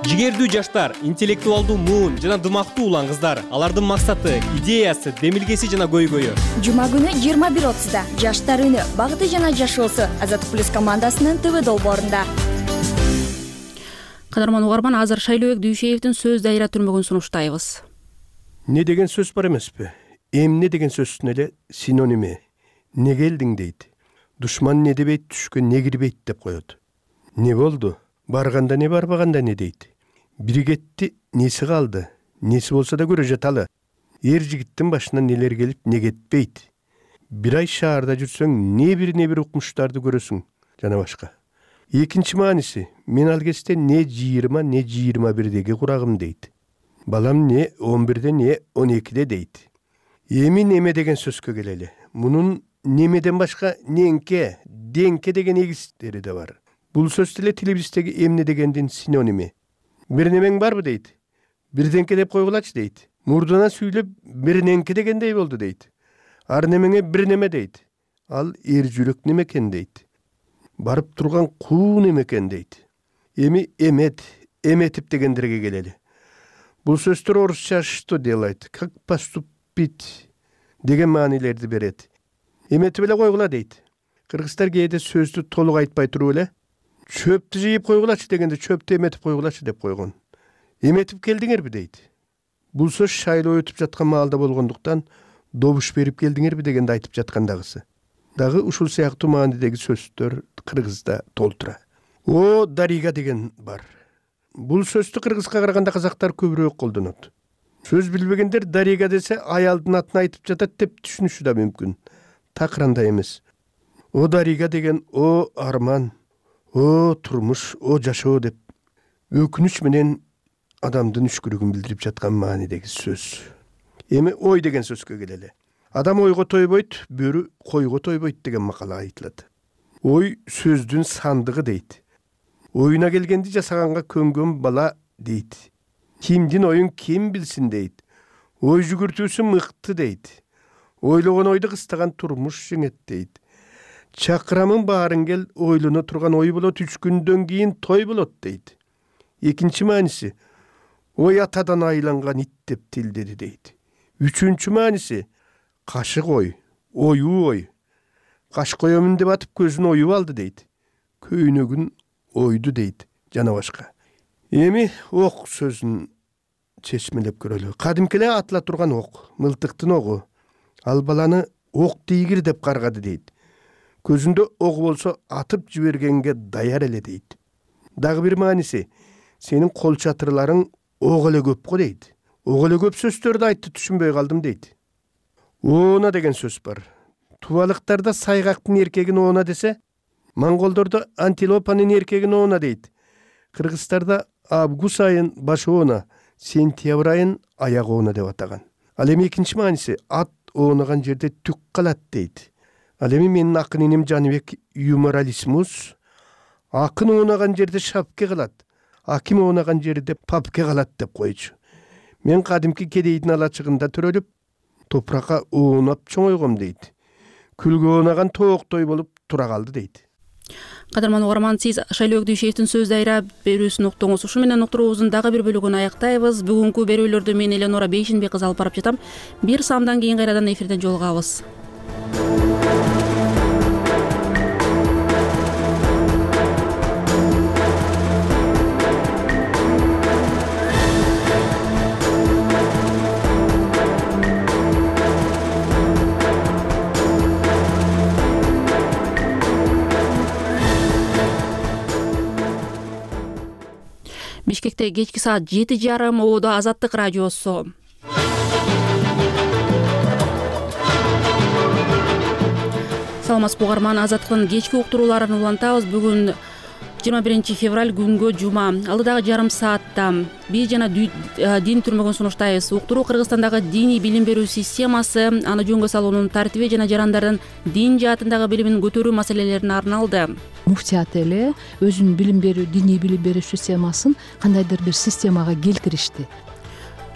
Жигердүү жаштар, интеллектуалдуу муун жана дымактуу улан кыздар. Алардын максаты, идеясы, демилгеси жана көйгөйү. Жума күнү жыйырма бир отузда Жаштар үнү багыты жана жашоосу Азаттык плюс командасынын ТВ долбоорунда. Кадарман угарман, азыр Шайлообек Дүйшеевдин сөз дайра түрмөгүн сунуштайбыз. Не деген сөз бар эмеспи? Эмне деген сөздүн эле синоними. Не келдиң дейт. Душман не дебейт, түшкө не кирбейт деп коет. Не болду? Барганда не, барбаганда не дейт. Бири кетти, неси калды? Неси болсо да көрө жаталы. Эр жигиттин башына нелер келип, не кетпейт. Бир ай шаарда жүрсөң, не бир не бир укмуштарды көрөсүң, жана башка. Экинчи мааниси, мен ал кезде не жыйырма, не жыйырма бирдеги курагым дейт. Балам не он бирде, не он экиде дейт. Эми неме деген сөзгө келели. Мунун немеден башка ненке, денке деген эгистери да бар. Бул сөз деле тилибиздеги эмне дегендин синоними. Бир немең барбы дейт. Бирденке деп койгулачы дейт. Мурдуна сүйлөп бирненке дегендей болду дейт. Ар немеңе бир неме дейт. Ал эр жүрөк немекен дейт. Барып турган куу немекен дейт. Эми эмет, эметип дегендерге келели. Бул сөздөр орусча что делать, как поступить деген маанилерди берет. Эметип эле койгула дейт. Кыргыздар кээде сөздү толук айтпай туруп эле чөптү жыйып койгулачы дегенде чөптү эметип койгулачы деп койгон. Эметип келдиңерби дейт. Бул сөз шайлоо өтүп жаткан маалда болгондуктан добуш берип келдиңерби дегенде айтып жаткандагысы. Дагы ушул сыяктуу маанидеги сөздөр кыргызда толтура. О дарига деген бар. Бул сөздү кыргызга караганда казактар көбүрөөк колдонот. Сөз билбегендер дарига десе аялдын атын айтып жатат деп түшүнүшү да мүмкүн. Так андай эмес. О дарига деген о арман, о турмуш, о жашоо деп өкүнүч менен адамдын үшкүрүгүн билдирип жаткан маанидеги сөз. Эми ой деген сөзгө келели. Адам ойго тойбойт, бөрү койго тойбойт деген макала айтылат. Ой сөздүн сандыгы дейт. Оюна келгенди жасаганга көнгөн бала дейт. Кимдин оюн ким билсин дейт. Ой жүгүртүүсү мыкты дейт. Ойлогон ойду кыстаган турмуш жеңет дейт. Чакырамын баарын кел, ойлоно турган ой болот, үч күндөн кийин той болот дейт. Экинчи мааниси, ой атадан айланган ит деп тилдеди дейт. Үчүнчү мааниси, кашык ой, оюу ой. Каш коёмун деп атып көзүн оюп алды дейт. Көйнөгүн ойду дейт, жана башка. Эми ок сөзүн чечмелеп көрөлү. Кадимки эле атыла турган ок, мылтыктын огу. Ал баланы ок тийгир деп каргады дейт. Көзүндө ок болсо атып жибергенге даяр эле дейт. Дагы бир мааниси, сенин кол чатырларың ок эле көп го дейт. Ок эле көп сөздөрдү айтты, түшүнбөй калдым дейт. Оона деген сөз бар. Тубалыктарда сайгактын эркегин оона десе, монголдордо антилопанын эркегин оона дейт. Кыргыздарда август айын баш оона, сентябрь айын аяк оона деп атаган. Ал эми экинчи мааниси, ат оонаган жерде түк калат дейт. Ал эми менин акын инем Жаныбек юморалисмус, акын оонаган жерде шапке калат, аким оонаган жерде папке калат деп койчу. Мен кадимки кедейдин алачыгында төрөлүп, топуракка оонап чоңойгом дейт. Күлгө оонаган тооктой болуп тура калды дейт. Кадырман угарман, сиз Шайлообек Дүйшеевдин сөз дайра берүүсүн уктуңуз. Ушу менен уктуруубуздун дагы бир бөлүгүн аяктайбыз. Бүгүнкү берүүлөрдү мен Эленора Бейшинбек кызы алып барып жатам. Бир самдан кийин кайрадан эфирден жолугабыз. Бишкекте кечки саат жети жарым. Ободо Азаттык радиосу. Саламатсызбы угарман, Азаттыктын кечки уктурууларын улантабыз. Бүгүн жыйырма биринчи февраль күнгө жума. Алдыдагы жарым саатта биз жана дин түрмөгүн сунуштайбыз. Уктуруу Кыргызстандагы диний билим берүү системасы, аны жөнгө салуунун тартиби жана жарандардын дин жаатындагы билимин көтөрүү маселелерине арналды. Муфтият эле өзүнүн билим берүү, диний билим берүү системасын кандайдыр бир системага келтиришти.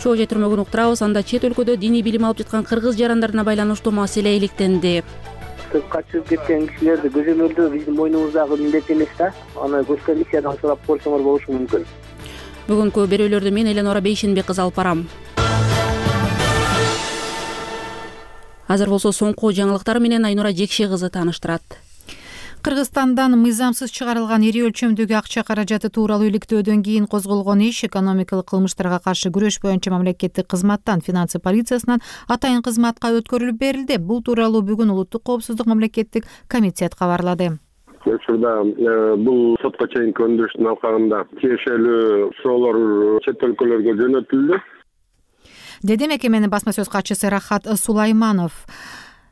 Чоо же түрмөгүн уктурабыз. Анда чет өлкөдө диний билим алып жаткан кыргыз жарандарына байланыштуу маселе иликтенди. Качып кеткен кишилерди көзөмөлдөө биздин мойнубуздагы милдет эмес да. Аны госкомиссиядан сурап көрсөңөр болушу мүмкүн. Бүгүнкү берүүлөрдү мен Эленора Бейшенбек кызы алып барам. Азыр болсо соңку жаңылыктар менен Айнура Жекше кызы тааныштырат. Кыргызстандан мыйзамсыз чыгарылган ири өлчөмдөгү акча каражаты тууралуу иликтөөдөн кийин козголгон иш экономикалык кылмыштарга каршы күрөш боюнча мамлекеттик кызматтан финансы полициясынан атайын кызматка өткөрүлүп берилди. Бул тууралуу бүгүн Улуттук коопсуздук мамлекеттик комитет кабарлады. Учурда бул сотко чейинки өндүрүштүн алкагында тиешелүү суроолор чет өлкөлөргө жөнөтүлдү, деди мекеменин басма сөз катчысы Рахат Сулайманов.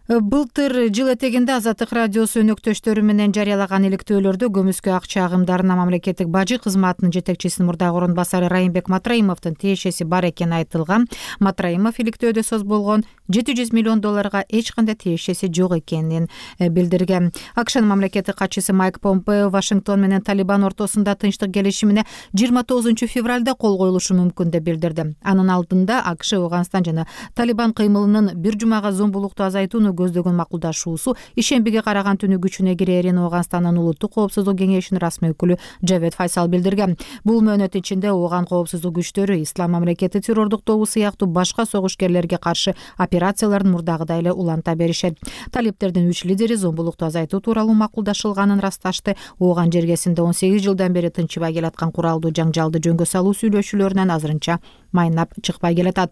Былтыр жыл этегинде Азаттык радиосу өнөктөштөрү менен жарыялаган иликтөөлөрдө көмүскө акча агымдарына мамлекеттик бажы кызматынын жетекчисинин мурдагы орун басары Райымбек Матраимовдун тиешеси бар экени айтылган. Матраимов иликтөөдө сөз болгон жети жүз миллион долларга эч кандай тиешеси жок экенин билдирген. АКШнын мамлекеттик катчысы Майк Помпео Вашингтон менен Талибан ортосунда тынчтык келишимине жыйырма тогузунчу февралда кол коюлушу мүмкүн деп билдирди. Анын алдында АКШ Афганистан жана Талибан кыймылынын бир жумага зомбулукту азайтууну көздөгөн макулдашуусу ишембиге караган түнү күчүнө кирерин Афганистандын улуттук коопсуздук кеңешинин расмий өкүлү Жавед Файсал билдирген. Бул мөөнөт ичинде Афган коопсуздук күчтөрү ислам мамлекети террордук тобу сыяктуу башка согушкерлерге каршы операцияларын мурдагыдай эле уланта беришет. Талиптердин үч лидери зомбулукту азайтуу тууралуу макулдашылганын ырасташты. Афган жергесинде он сегиз жылдан бери тынчыбай келаткан куралдуу жаңжалды жөнгө салуу сүйлөшүүлөрүнөн азырынча майнап чыкпай келатат.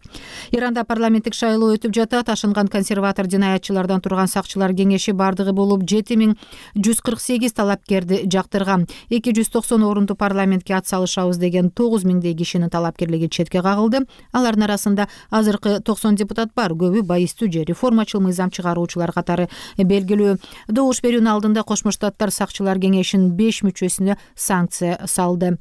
Иранда парламенттик шайлоо өтүп жатат. Ашынган консерватор жинаятчылардан турган сакчылар кеңеши бардыгы болуп жети миң жүз кырк сегиз талапкерди жактырган. эки жүз токсон орунду парламентке ат салышабыз деген тогуз миңдей кишинин талапкерлиги четке кагылды. Алардын арасында азыркы токсон депутат бар. Көбү байыстуу же реформачыл мыйзам чыгаруучулар катары белгилүү. Добуш берүүнүн алдында Кошмо Штаттар сакчылар кеңешинин беш мүчөсүнө санкция салды.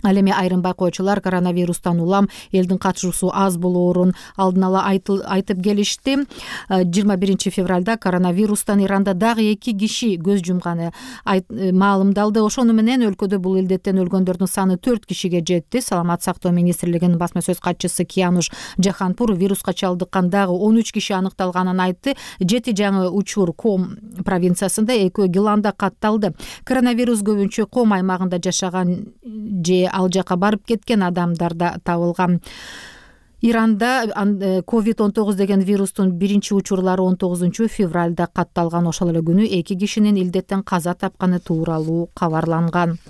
Ал эми айрым байкоочулар коронавирустан улам элдин катышуусу аз болоорун алдын ала айтып келишти. жыйырма биринчи февралда коронавирустан Иранда дагы эки киши көз жумганы маалымдалды. Ошону менен өлкөдө бул илдеттен өлгөндөрдүн саны төрт кишиге жетти. Саламат сактоо министрлигинин басма сөз катчысы Киянуш Жаханпур вируска чалдыккан дагы он үч киши аныкталганын айтты. Жети жаңы учур Ком провинциясында, экөө Гиланда катталды. Коронавирус көбүнчө Ком аймагында жашаган же ал жака барып кеткен адамдарда табылган. Иранда ковид он тогуз деген вирустун биринчи учурлары он тогузунчу февралда катталган. Ошол эле күнү эки кишинин илдеттен каза тапканы тууралуу кабарланган.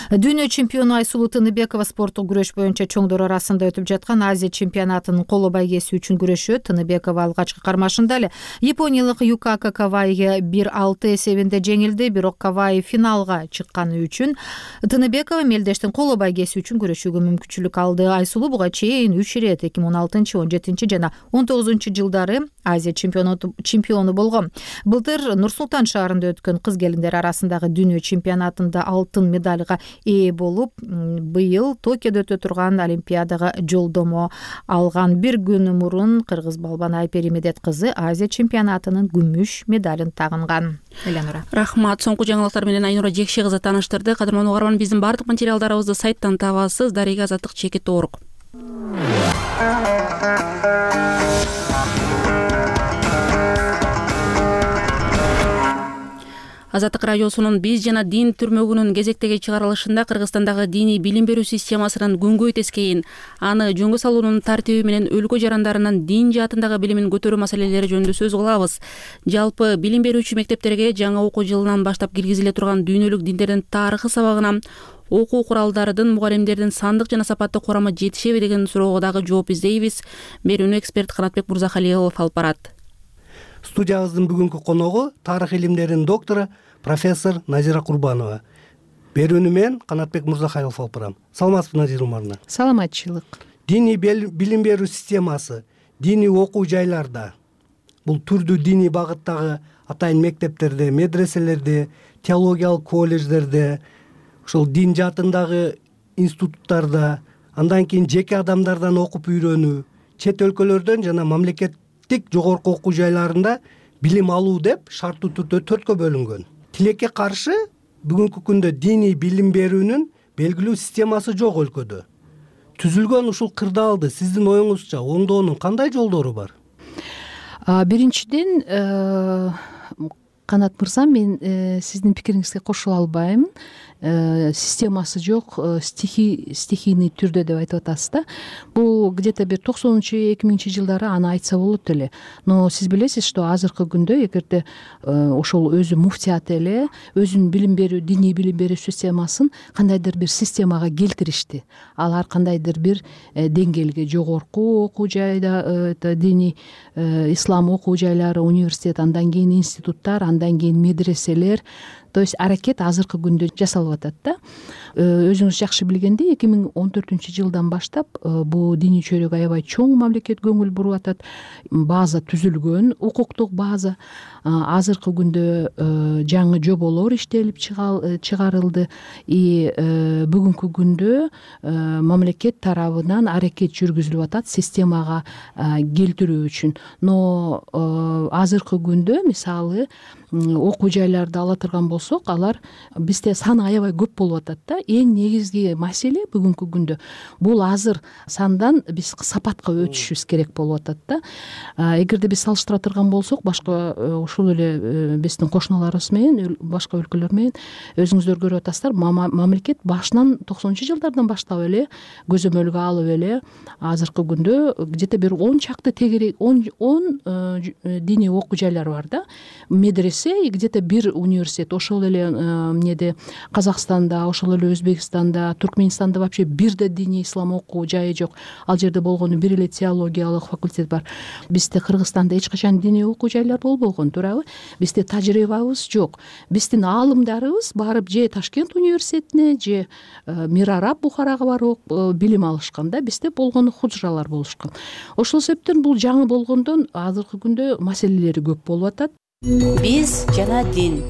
Дүйнө чемпиону Айсулуу Тыныбекова спорттук күрөш боюнча чоңдор арасында өтүп жаткан Азия чемпионатынын коло байгеси үчүн күрөшөт. Тыныбекова алгачкы кармашында эле япониялык Юкака Кавайга бир алты эсебинде жеңилди, бирок Кавай финалга чыкканы үчүн Тыныбекова мелдештин коло байгеси үчүн күрөшүүгө мүмкүнчүлүк алды. Айсулуу буга чейин үч ирет эки миң он алтынчы, он жетинчи жана он тогузунчу жылдары Азия чемпиону болгон. Былтыр Нур Султан шаарында өткөн кыз келиндер арасындагы дүйнө чемпионатында алтын медальга ээ болуп, быйыл Токиодо өтө турган Олимпиадага жолдомо алган. Бир күн мурун кыргыз балбан Айпери Медет кызы Азия чемпионатынын күмүш медалын тагынган. Эленора. Рахмат. Соңку жаңылыктар менен Айнура Жекше кызы тааныштырды. Кадырман угарман, биздин бардык материалдарыбызды сайттан табасыз. Дарыга Азаттык чекит орг. Азаттык радиосунун биз жана дин түрмөгүнүн кезектеги чыгарылышында Кыргызстандагы диний билим берүү системасынын күнгөй тескейин, аны жөнгө салуунун тартиби менен өлкө жарандарынын дин жаатындагы билимин көтөрүү маселелери жөнүндө сөз кылабыз. Жалпы билим берүүчү мектептерге жаңы окуу жылынан баштап киргизиле турган дүйнөлүк диндердин тарыхы сабагына окуу куралдарынын мугалимдердин сандык жана сапаттык курамы жетишеби деген суроого дагы жооп издейбиз. Берүүнү эксперт Канатбек Мурзахалилов алып барат. Студиябыздын бүгүнкү коногу тарых илимдеринин доктору профессор Назира Курбанова. берүүнү мен Канатбек Мурзахайлов алып барам. Саламатсызбы Назира Умаровна? Саламатчылык. Диний билим берүү системасы диний окуу жайларда, бул түрдүү диний багыттагы атайын мектептерде, медреселерде, теологиялык колледждерде, ошол дин жаатындагы институттарда, андан кийин жеке адамдардан окуп үйрөнүү, чет өлкөлөрдөн жана мамлекеттик жогорку окуу жайларында билим алуу деп шарттуу түрдө төрткө бөлүнгөн. Тилекке каршы бүгүнкү күндө диний билим берүүнүн белгилүү системасы жок өлкөдө. Түзүлгөн ушул кырдаалды сиздин оюңузча оңдоонун кандай жолдору бар? Биринчиден, Канат мырза, мен сиздин пикириңизге кошула албайм. Системасы жок, стихи стихийный түрдө деп айтып атасыз да. Бул где-то бир токсонунчу эки миңинчи жылдары аны айтса болот эле. Но сиз билесиз, что азыркы күндө эгерде ошол өзү муфтият эле өзүнүн билим берүү, диний билим берүү системасын кандайдыр бир системага келтиришти. Алар кандайдыр бир деңгээлге, жогорку окуу жайда, диний ислам окуу жайлары, университет, андан кийин институттар, андан кийин медреселер. То есть аракет азыркы күндө жасалып атат да. Өзүңүз жакшы билгендей, эки миң он төртүнчү жылдан баштап бул диний чөйрөгө аябай чоң мамлекет көңүл буруп атат. База түзүлгөн, укуктук база. Азыркы күндө жаңы жоболор иштелип чыгарылды. И бүгүнкү күндө мамлекет тарабынан аракет жүргүзүлүп атат системага келтирүү үчүн. Но азыркы күндө мисалы окуу жайларды ала турган болсок, алар бизде саны аябай көп болуп атат да. Эң негизги маселе бүгүнкү күндө бул азыр сандан биз сапатка өтүшүбүз керек болуп атат да. Эгерде биз салыштыра турган болсок, башка ушул эле биздин кошуналарыбыз менен, башка өлкөлөр менен өзүңүздөр көрүп атасыздар, мамлекет башынан токсонунчу жылдардан баштап эле көзөмөлгө алып эле азыркы күндө где-то бир он чакты тегерек он диний окуу жайлар бар да. Медресе, где-то бир университет, ошол эле эмнеде Казакстанда, ошол эле Өзбекстанда, Туркменистанда вообще бир да диний ислам окуу жайы жок. Ал жерде болгону бир эле теологиялык факультет бар. Бизде Кыргызстанда эч качан диний окуу жайлар болбогон, туурабы? Бизде тажрыйбабыз жок. Биздин аалымдарыбыз барып же Ташкент университетине, же Мир Араб Бухарага барып билим алышкан да. Бизде болгону худжралар болушкан. Ошол себептен бул жаңы болгондон азыркы күндө маселелери көп болуп атат. Биз жана дин.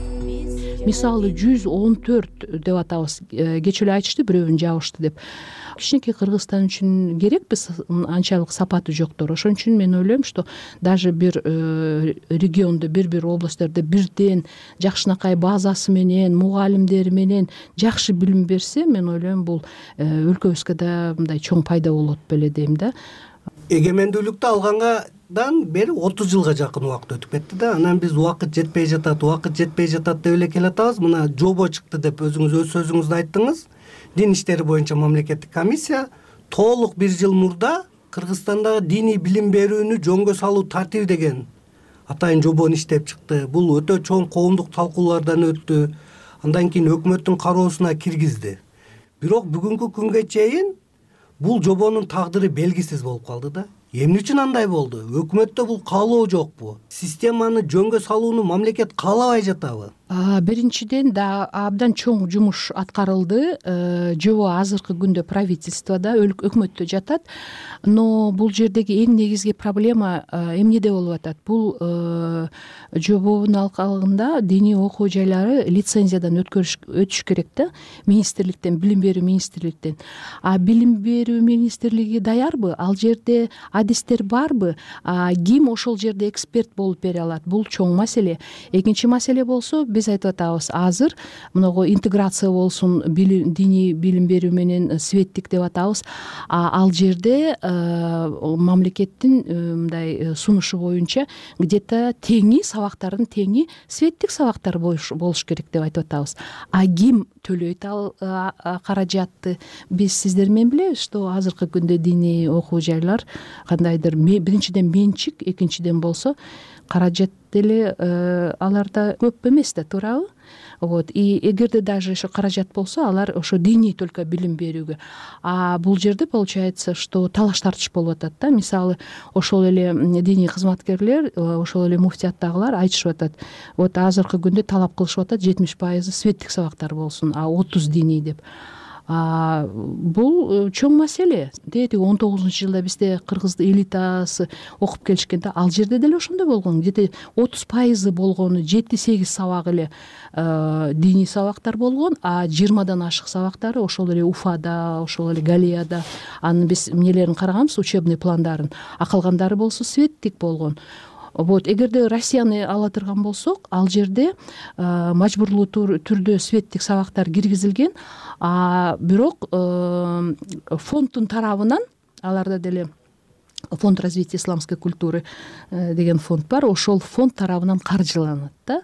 Мисалы жүз он төрт деп атабыз. Кечээ эле айтышты, бирөөнү жабышты деп. Кичинекей Кыргызстан үчүн керекпиз, анчалык сапаты жоктор. Ошон үчүн мен ойлойм, что даже бир региондо, бир-бир областьтарда бирден жакшынакай базасы менен, мугалимдери менен жакшы билим берсе, мен ойлойм, бул өлкөбүзгө да мындай чоң пайда болот беле дейм да. Эгемендүүлүктү алгандан бери отуз жылга жакын убакыт өтүп кетти да. Анан биз убакыт жетпей жатат, убакыт жетпей жатат деп эле келатабыз. Мына жобо чыкты деп өзүңүз өз сөзүңүздө айттыңыз. Дин иштери боюнча мамлекеттик комиссия толук бир жыл мурда Кыргызстандагы диний билим берүүнү жөнгө салуу тартиби деген атайын жобону иштеп чыкты. Бул өтө чоң коомдук талкуулардан өттү. Андан кийин өкмөттүн кароосуна киргизди. Бирок бүгүнкү күнгө чейин бул жобонун тагдыры белгисиз болуп калды да. Эмне үчүн андай болду? Өкмөттө бул каалоо жокпу? Системаны жөнгө салууну мамлекет каалабай жатабы? Биринчиден да абдан чоң жумуш аткарылды. Жобо азыркы күндө правительствода, өкмөттө жатат. Но бул жердеги эң негизги проблема эмнеде болуп атат? Бул жобонун алкагында диний окуу жайлары лицензиядан өтүш керек да, министрликтен, билим берүү министрликтен. А билим берүү министрлиги даярбы? Ал жерде адистер барбы? Ким ошол жерде эксперт болуп бере алат? Бул чоң маселе. Экинчи маселе болсо, биз айтып атабыз, азыр мынагу интеграция болсун, диний билим берүү менен светтик деп атабыз. Ал жерде мамлекеттин мындай сунушу боюнча где-то теңи сабактардын теңи светтик сабактар болуш керек деп айтып атабыз. А ким төлөйт ал каражатты? Биз сиздер менен билебиз, что азыркы күндө диний окуу жайлар кандайдыр биринчиден менчик, экинчиден болсо каражат деле аларда көп эмес да, туурабы? вот и эгерде даже ошо каражат болсо алар ошо диний только билим берүүгө, а бул жерде получается что талаш тартыш болуп атат да. Мисалы ошол эле диний кызматкерлер, ошол эле муфтияттагылар айтышып атат, вот азыркы күндө талап кылышып атат жетимиш пайызы светтик сабактар болсун, а отуз диний деп. Бул чоң маселе. Тетиги он тогузунчу жылда бизде кыргыз элитасы окуп келишкенде ал жерде деле ошондой болгон. Где-то отуз пайызы болгону жети сегиз сабак эле диний сабактар болгон, а жыйырмадан ашык сабактары ошол эле Уфада, ошол эле Галияда. Анын биз эмнелерин караганбыз, учебный пландарын. А калгандары болсо светтик болгон. Вот эгерде Россияны ала турган болсок, ал жерде мажбурлуу түрдө светтик сабактар киргизилген, а бирок фонддун тарабынан, аларда деле фонд развития исламской культуры деген фонд бар, ошол фонд тарабынан каржыланат да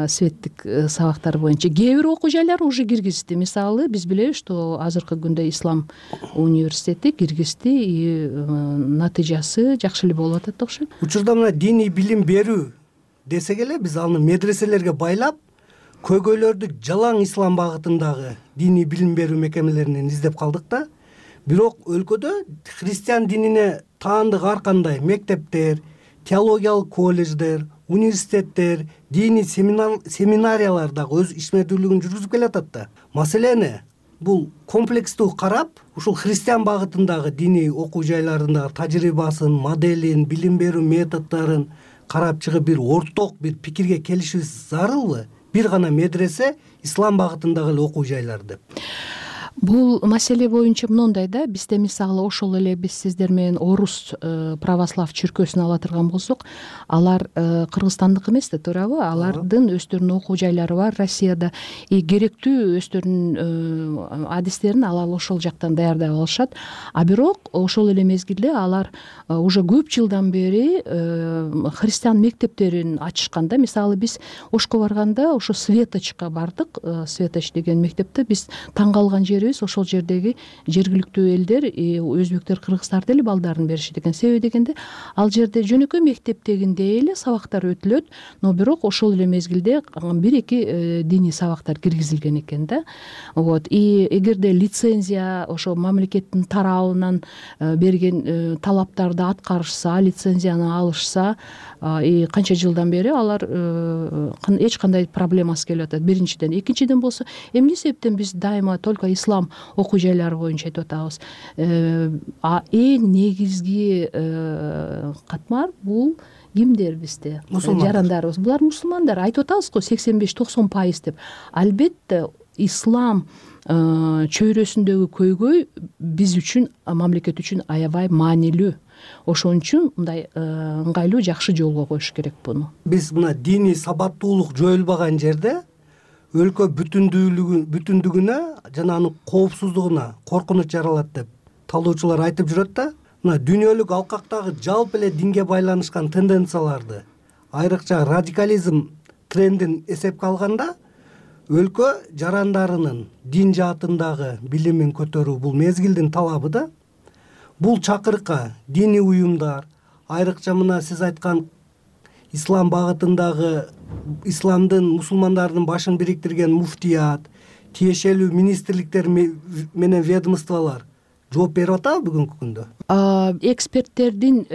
светтик сабактар боюнча. Кээ бир окуу жайлар уже киргизди. Мисалы биз билебиз, что азыркы күндө Ислам университети киргизди и натыйжасы жакшы эле болуп атат окшойт. Учурда мына диний билим берүү десек эле биз аны медреселерге байлап, көйгөйлөрдү жалаң ислам багытындагы диний билим берүү мекемелеринен издеп калдык да. Бирок өлкөдө христиан динине таандык ар кандай мектептер, теологиялык колледждер, университеттер, диний семинариялар дагы өз ишмердүүлүгүн жүргүзүп келатат да. Маселени бул комплекстүү карап, ушул христиан багытындагы диний окуу жайларындагы тажрыйбасын, моделин, билим берүү методдорун карап чыгып бир орток бир пикирге келишибиз зарылбы? Бир гана медресе ислам багытындагы эле окуу жайлар деп. Бул маселе боюнча мондой да, бизде мисалы ошол эле биз сиздер менен орус православ чиркөөсүн ала турган болсок, алар кыргызстандык эмес да, туурабы? Алардын өздөрүнүн окуу жайлары бар Россияда, и керектүү өздөрүнүн адистерин алар ошол жактан даярдап алышат. А бирок ошол эле мезгилде алар уже көп жылдан бери христиан мектептерин ачышкан да. Мисалы биз Ошко барганда ошо Светочко бардык. Светоч деген мектепте биз таң калган жери ошол жердеги жергиликтүү элдер, өзбектер, кыргыздар деле балдарын беришет экен. Себеби дегенде ал жерде жөнөкөй мектептегиндей эле сабактар өтүлөт, но бирок ошол эле мезгилде бир эки диний сабактар киргизилген экен да. Вот и эгерде лицензия ошо мамлекеттин тарабынан берген талаптарды аткарышса, лицензияны алышса, и канча жылдан бери алар эч кандай проблемасы келип атат. Биринчиден, экинчиден болсо, эмне себептен биз дайыма только ислам окуу жайлары боюнча айтып атабыз. А эң негизги катмар бул кимдер бизде? Жарандарыбыз. Булар мусулмандар. Айтып атабыз го сексен беш токсон пайыз деп. Албетте ислам чөйрөсүндөгү көйгөй биз үчүн, мамлекет үчүн аябай маанилүү. Ошон үчүн мындай ыңгайлуу жакшы жолго коюш керек буну. Биз мына диний сабаттуулук жоюлбаган жерде өлкө бүтүндүгүнө жана анын коопсуздугуна коркунуч жаралат деп талоочулар айтып жүрөт да. Мына дүйнөлүк алкактагы жалпы эле динге байланышкан тенденцияларды, айрыкча радикализм трендин эсепке алганда, өлкө жарандарынын дин жаатындагы билимин көтөрүү бул мезгилдин талабы да. Бул чакырыкка диний уюмдар, айрыкча мына сиз айткан ислам багытындагы исламдын, мусулмандардын башын бириктирген муфтият, тиешелүү министрликтер менен ведомстволор жооп берип атабы бүгүнкү күндө? Эксперттердин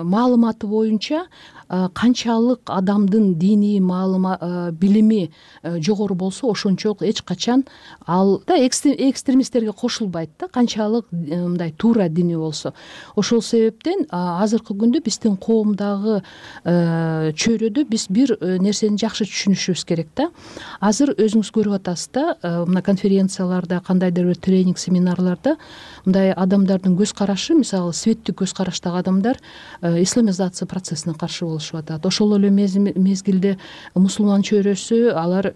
маалыматы боюнча канчалык адамдын диний маалыма билими жогору болсо, ошончолук эч качан ал да экстремисттерге кошулбайт да, канчалык мындай туура дини болсо. Ошол себептен азыркы күндө биздин коомдагы чөйрөдө биз бир нерсени жакшы түшүнүшүбүз керек да. Азыр өзүңүз көрүп атасыз да, мына конференцияларда, кандайдыр бир тренинг, семинарларда мындай адамдардын көз карашы, мисалы светтик көз караштагы адамдар исламизация процессине каршы болушуп атат. Ошол эле мезгилде мусулман чөйрөсү алар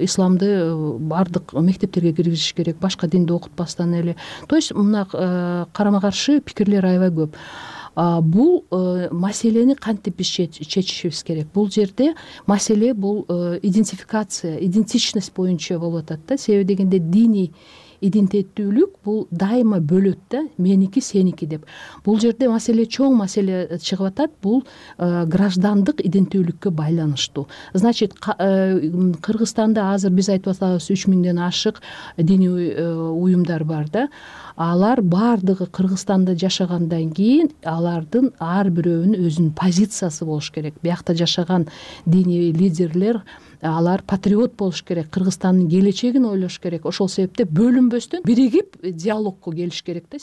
исламды бардык мектептерге киргизиш керек, башка динди окутпастан эле. То есть мына карама каршы пикирлер аябай көп. Бул маселени кантип биз чечишибиз керек? Бул жерде маселе бул идентификация, идентичность боюнча болуп атат да. Себеби дегенде диний идентиттүүлүк бул дайыма бөлөт да, меники сеники деп. Бул жерде маселе чоң маселе чыгып атат, бул граждандык иденттүүлүккө байланыштуу. Значит, Кыргызстанда азыр биз айтып атабыз үч миңден ашык диний уюмдар бар да. Алар баардыгы Кыргызстанда жашагандан кийин алардын ар бирөөнүн өзүнүн позициясы болуш керек. Биякта жашаган диний лидерлер алар патриот болуш керек, Кыргызстандын келечегин ойлош керек. Ошол себептен бөлүнбөстөн биригип диалогко келиш керек да.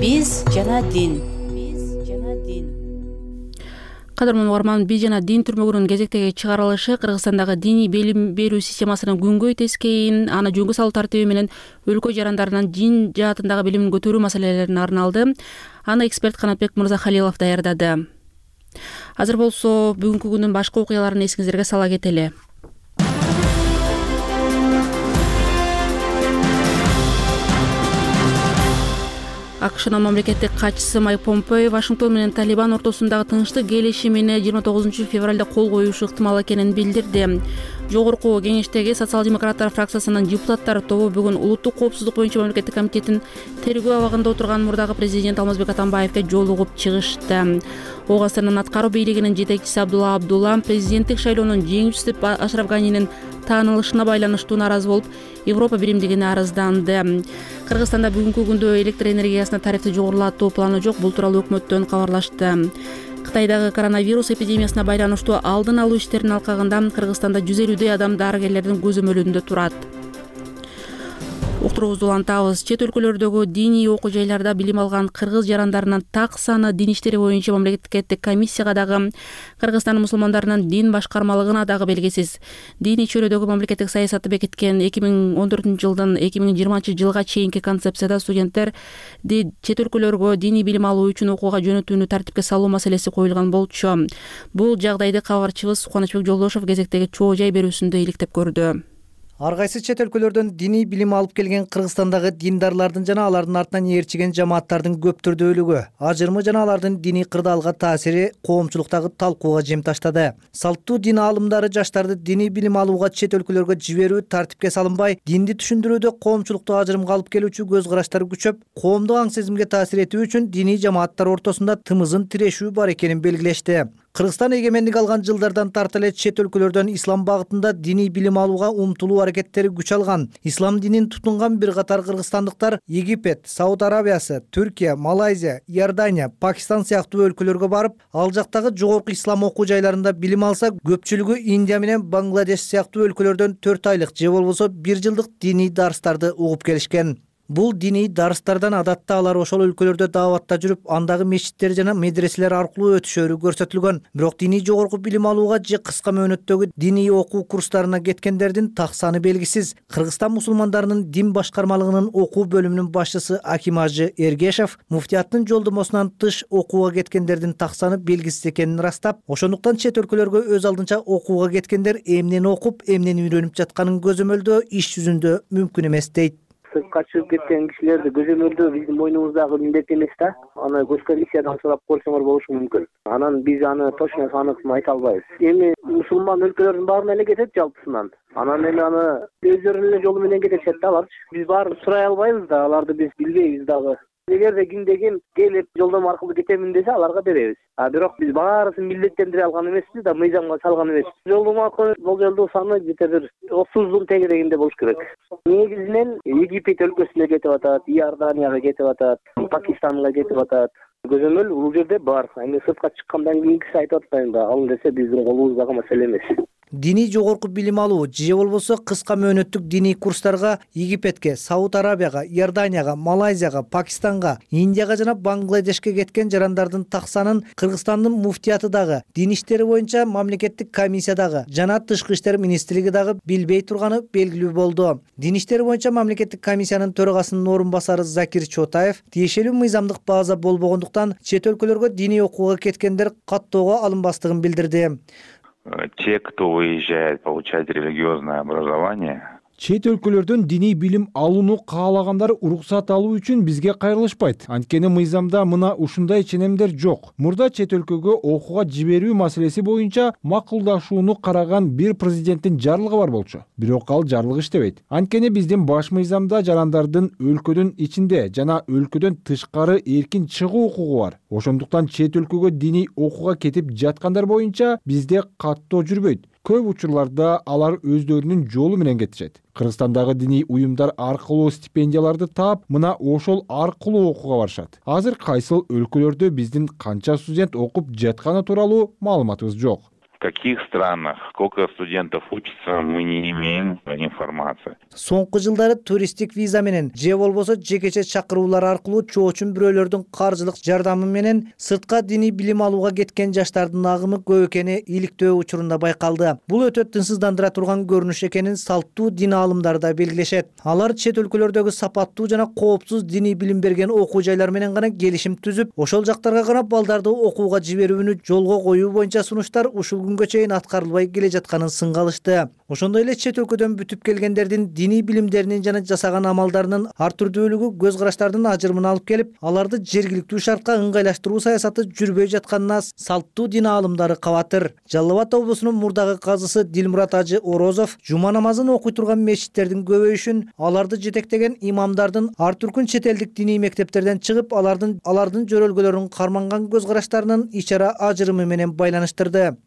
Биз жана дин. Биз жана дин. Кадырман угарман, биз жана дин түрмөгүнүн кезектеги чыгарылышы Кыргызстандагы диний билим берүү системасынын күнгөй тескейин, аны жөнгө салуу тартиби менен өлкө жарандарынын дин жаатындагы билимин көтөрүү маселелерине арналды. Аны эксперт Канатбек Мырзахалилов даярдады. Азыр болсо бүгүнкү күндүн башка окуяларын эсиңиздерге сала кетели. АКШнын мамлекеттик катчысы Майк Помпео Вашингтон менен Талибан ортосундагы тынчтык келишимине жыйырма тогузунчу февралда кол коюшу ыктымал экенин билдирди. Жогорку кеңештеги социал-демократтар фракциясынын депутаттар тобу бүгүн улуттук коопсуздук боюнча мамлекеттик комитеттин тергөө абагында отурган мурдагы президент Алмазбек Атамбаевге жолугуп чыгышты. Ооганстандын аткаруу бийлигинин жетекчиси Абдулла Абдулла президенттик шайлоонун жеңүүчүсү деп Ашраф Ганинин таанылышына байланыштуу нааразы болуп, Европа биримдигине арызданды. Кыргызстанда бүгүнкү күндө электр энергиясына тарифти жогорулатуу планы жок. Бул тууралуу өкмөттөн кабарлашты. Кытайдагы коронавирус эпидемиясына байланыштуу алдын алуу иштеринин алкагында Кыргызстанда жүз элүүдөй адам дарыгерлердин көзөмөлүндө турат. Уктуруубузду улантабыз. Чет өлкөлөрдөгү диний окуу жайларда билим алган кыргыз жарандарынын так саны дин иштери боюнча мамлекеттик комиссияга дагы, Кыргызстандын мусулмандарынын дин башкармалыгына дагы белгисиз. Диний чөйрөдөгү мамлекеттик саясатты бекиткен эки миң он төртүнчү жылдан эки миң жыйырманчы жылга чейинки концепцияда студенттерди чет өлкөлөргө диний билим алуу үчүн окууга жөнөтүүнү тартипке салуу маселеси коюлган болчу. Бул жагдайды кабарчыбыз Кубанычбек Жолдошов кезектеги чоо жай берүүсүндө иликтеп көрдү. Ар кайсы чет өлкөлөрдөн диний билим алып келген Кыргызстандагы диндарлардын жана алардын артынан ээрчиген жамааттардын көп түрдүүлүгү, ажырымы жана алардын диний кырдаалга таасири коомчулуктагы талкууга жем таштады. Салттуу дин аалымдары жаштарды диний билим алууга чет өлкөлөргө жиберүү тартипке салынбай, динди түшүндүрүүдө коомчулукту ажырымга алып келүүчү көз караштар күчөп, коомдук аң сезимге таасир этүү үчүн диний жамааттар ортосунда тымызын тирешүү бар экенин белгилешти. Кыргызстан эгемендик алган жылдардан тарта эле чет өлкөлөрдөн ислам багытында диний билим алууга умтулуу аракеттери күч алган. Ислам динин тутунган бир катар кыргызстандыктар Египет, Сауд Арабиясы, Түркия, Малайзия, Иордания, Пакистан сыяктуу өлкөлөргө барып, ал жактагы жогорку ислам окуу жайларында билим алса, көпчүлүгү Индия менен Бангладеш сыяктуу өлкөлөрдөн төрт айлык же болбосо бир жылдык диний дарстарды угуп келишкен. Бул диний дарстардан адатта алар ошол өлкөлөрдө дааватта жүрүп, андагы мечиттер жана медреселер аркылуу өтүшөрү көрсөтүлгөн. Бирок диний жогорку билим алууга же кыска мөөнөттөгү диний окуу курстарына кеткендердин так саны белгисиз. Кыргызстан мусулмандарынын дин башкармалыгынын окуу бөлүмүнүн башчысы Аким Ажы Эргешев муфтияттын жолдомосунан тыш окууга кеткендердин так саны белгисиз экенин ырастап, ошондуктан чет өлкөлөргө өз алдынча окууга кеткендер эмнени окуп, эмнени үйрөнүп жатканын көзөмөлдөө иш жүзүндө мүмкүн эмес дейт. Сыртка чыгып кеткен кишилерди көзөмөлдөө биздин мойнубуздагы милдет эмес да. Аны госкомиссиядан сурап көрсөңөр болушу мүмкүн. Анан биз аны точно санын айта албайбыз. Эми мусулман өлкөлөрдүн баарына эле кетет жалпысынан. Анан эми аны өздөрүнүн эле жолу менен кетишет да алар. Биз баарын сурай албайбыз да, аларды биз билбейбиз дагы. Эгерде кимде ким келип жолдомо аркылуу кетемин десе, аларга беребиз. А бирок биз баарысын милдеттендире алган эмеспиз да, мыйзамга салган эмеспиз. Жолдомо аркылуу болжолдуу саны где-то бир отуздун тегерегинде болуш керек. Негизинен Египет өлкөсүнө кетип атат, Иорданияга кетип атат, Пакистанга кетип атат. Көзөмөл бул жерде бар. Эми сыртка чыккандан кийинкиси айтып атпайм да, ал десе биздин колубуздагы маселе эмес. Диний жогорку билим алуу же болбосо кыска мөөнөттүк диний курстарга Египетке, Сауд Арабияга, Иорданияга, Малайзияга, Пакистанга, Индияга жана Бангладешке кеткен жарандардын так санын Кыргызстандын муфтияты дагы, дин иштери боюнча мамлекеттик комиссия дагы жана Тышкы иштер министрлиги дагы билбей турганы белгилүү болду. Дин иштери боюнча мамлекеттик комиссиянын төрагасынын орун басары Закир Чотаев тиешелүү мыйзамдык база болбогондуктан чет өлкөлөргө диний окууга кеткендер каттоого алынбастыгын билдирди. Те, кто выезжает получать религиозное образование, Чет өлкөлөрдөн диний билим алууну каалагандар уруксат алуу үчүн бизге кайрылышпайт. Анткени мыйзамда мына ушундай ченемдер жок. Мурда чет өлкөгө окууга жиберүү маселеси боюнча макулдашууну караган бир президенттин жарлыгы бар болчу. Бирок ал жарлык иштебейт. Анткени биздин баш мыйзамда жарандардын өлкөдүн ичинде жана өлкөдөн тышкары эркин чыгуу укугу бар. Ошондуктан чет өлкөгө диний окууга кетип жаткандар боюнча бизде каттоо жүрбөйт. Көп учурларда алар өздөрүнүн жолу менен кетишет. Кыргызстандагы диний уюмдар аркылуу стипендияларды таап, мына ошол аркылуу окууга барышат. Азыр кайсыл өлкөлөрдө биздин канча студент окуп жатканы тууралуу маалыматыбыз жок. В каких странах, сколько студентов учатся, мы не имеем информации. Соңку жылдары туристтик виза менен же болбосо жекече чакыруулар аркылуу чоочун бирөөлөрдүн каржылык жардамы менен сыртка диний билим алууга кеткен жаштардын агымы көп экени иликтөө учурунда байкалды. Бул өтө тынчсыздандыра турган көрүнүш экенин салттуу дин аалымдары да белгилешет. Алар чет өлкөлөрдөгү сапаттуу жана коопсуз диний билим берген окуу жайлар менен гана келишим түзүп, ошол жактарга гана балдарды окууга жиберүүнү жолго коюу боюнча сунуштар ушул күнгө чейин аткарылбай келе жатканын сынга алышты. Ошондой эле чет өлкөдөн бүтүп келгендердин диний билимдеринин жана жасаган амалдарынын ар түрдүүлүгү көз караштардын ажырымын алып келип, аларды жергиликтүү шартка ыңгайлаштыруу саясаты жүрбөй жатканына салттуу дин аалымдары кабатыр. Жалал Абад облусунун мурдагы казысы Дилмурат Ажы Орозов жума намазын окуй турган мечиттердин көбөйүшүн, аларды жетектеген имамдардын ар түркүн чет элдик диний мектептерден чыгып, алардын алардын жөрөлгөлөрүн карманган көз караштарынын ичара ажырымы менен байланыштырды.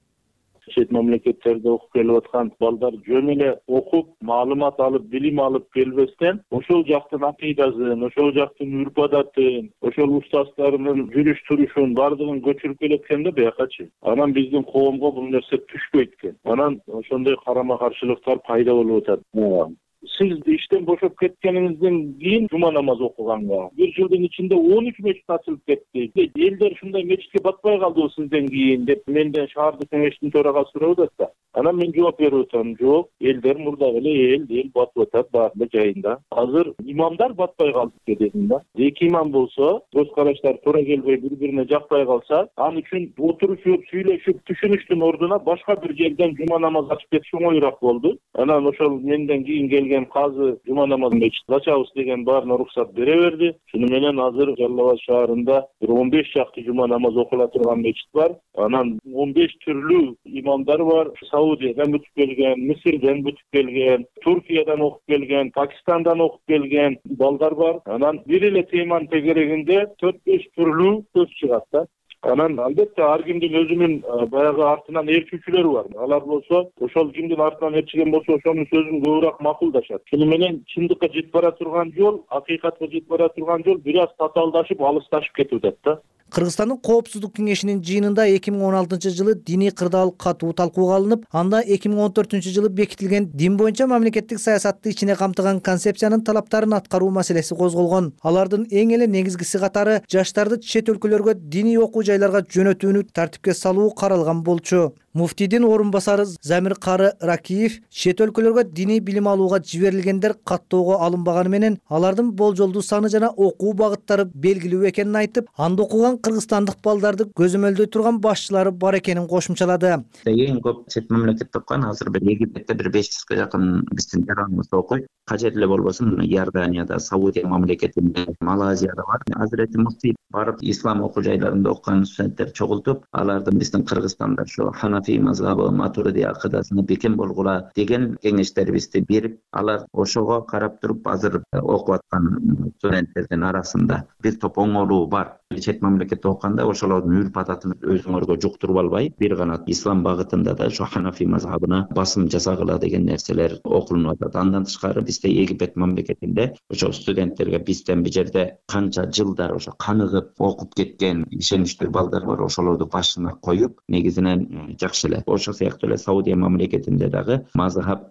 Чет мамлекеттерде окуп келип аткан балдар жөн эле окуп, маалымат алып, билим алып келбестен, ошол жактын акыйдасын, ошол жактын үрп-адатын, ошол устаздарынын жүрүш-турушун бардыгын көчүрүп келеткенде биякачы. Анан биздин коомго бул нерсе түшпөйт экен. Анан ошондой карама-каршылыктар пайда болуп атат. Сиз иштен бошоп кеткениңизден кийин жума намаз окуганга бир жылдын ичинде он үч мечит ачылып кетти. Элдер ушундай мечитке батпай калдыбы сизден кийин деп менден шаардык кеңештин төрагасы сурап атат да. Анан мен жооп берип атам, жок, элдер мурдагы эле эл, эл батып атат баары эле жайында. Азыр имамдар батпай калды дедим да. Эки имам болсо, көз караштар туура келбей бири-бирине жакпай калса, ал үчүн отурушуп, сүйлөшүп, түшүнүштүн ордуна башка бир жерден жума намаз ачып кетиш оңоюраак болду. Анан ошол менден кийин келген казы жума намазын мечит ачабыз деген баарына уруксат бере берди. Шуну менен азыр Жалал Абад шаарында бир он беш чакты жума намаз окула турган мечит бар. Анан он беш түрлүү имамдар бар. Саудиядан бүтүп келген, Мисирден бүтүп келген, Туркиядан окуп келген, Пакистандан окуп келген балдар бар. Анан бир эле теманын тегерегинде төрт беш түрлүү сөз чыгат да. Анан албетте ар кимдин өзүнүн баягы артынан ээрчүүчүлөрү бар. Алар болсо ошол кимдин артынан ээрчиген болсо ошонун сөзүн көбүрөөк макулдашат. Шуну менен чындыкка жетип бара турган жол, акыйкатка жетип бара турган жол бир аз татаалдашып, алысташып кетип атат да. Кыргызстандын коопсуздук кеңешинин жыйынында эки миң он алтынчы жылы диний кырдаал катуу талкууга алынып, анда эки миң он төртүнчү жылы бекитилген дин боюнча мамлекеттик саясатты ичине камтыган концепциянын талаптарын аткаруу маселеси козголгон. Алардын эң эле негизгиси катары жаштарды чет өлкөлөргө диний окуу жайларга жөнөтүүнү тартипке салуу каралган болчу. Муфтийдин орун басары Замир Кары Ракиев чет өлкөлөргө диний билим алууга жиберилгендер каттоого алынбаганы менен алардын болжолдуу саны жана окуу багыттары белгилүү экенин айтып, анда окуган кыргызстандык балдарды көзөмөлдөй турган башчылары бар экенин кошумчалады. Эң көп чет мамлекетте окуган азыр бир Египетте бир беш жүзгө жакын биздин жараныбызда окуйт. Кажет эле болбосо Иорданияда, Саудия мамлекетинде, Малайзияда бар. Азирети Муфтий барып ислам окуу жайларында окуган студенттер чогултуп, алардын биздин Кыргызстанда ошо Ханафи мазхабы, Матуриди акыдасына бекем болгула деген кеңештерибизди берип, алар ошого карап туруп азыр окуп аткан студенттердин арасында бир топ оңолуу бар. Чет мамлекетте окуганда ошолордун үрп-адатын өзүңөргө жуктуруп албай, бир гана ислам багытында да ошо Ханафи мазхабына басым жасагыла деген нерселер окулунуп атат. Андан тышкары бизде Египет мамлекетинде ошо студенттерге бизден бир жерде канча жылдар ошо каныгып окуп кеткен ишеничтүү балдар бар, ошолорду башына коюп, негизинен жакшы эле. Ошол сыяктуу эле Саудия мамлекетинде дагы мазхаб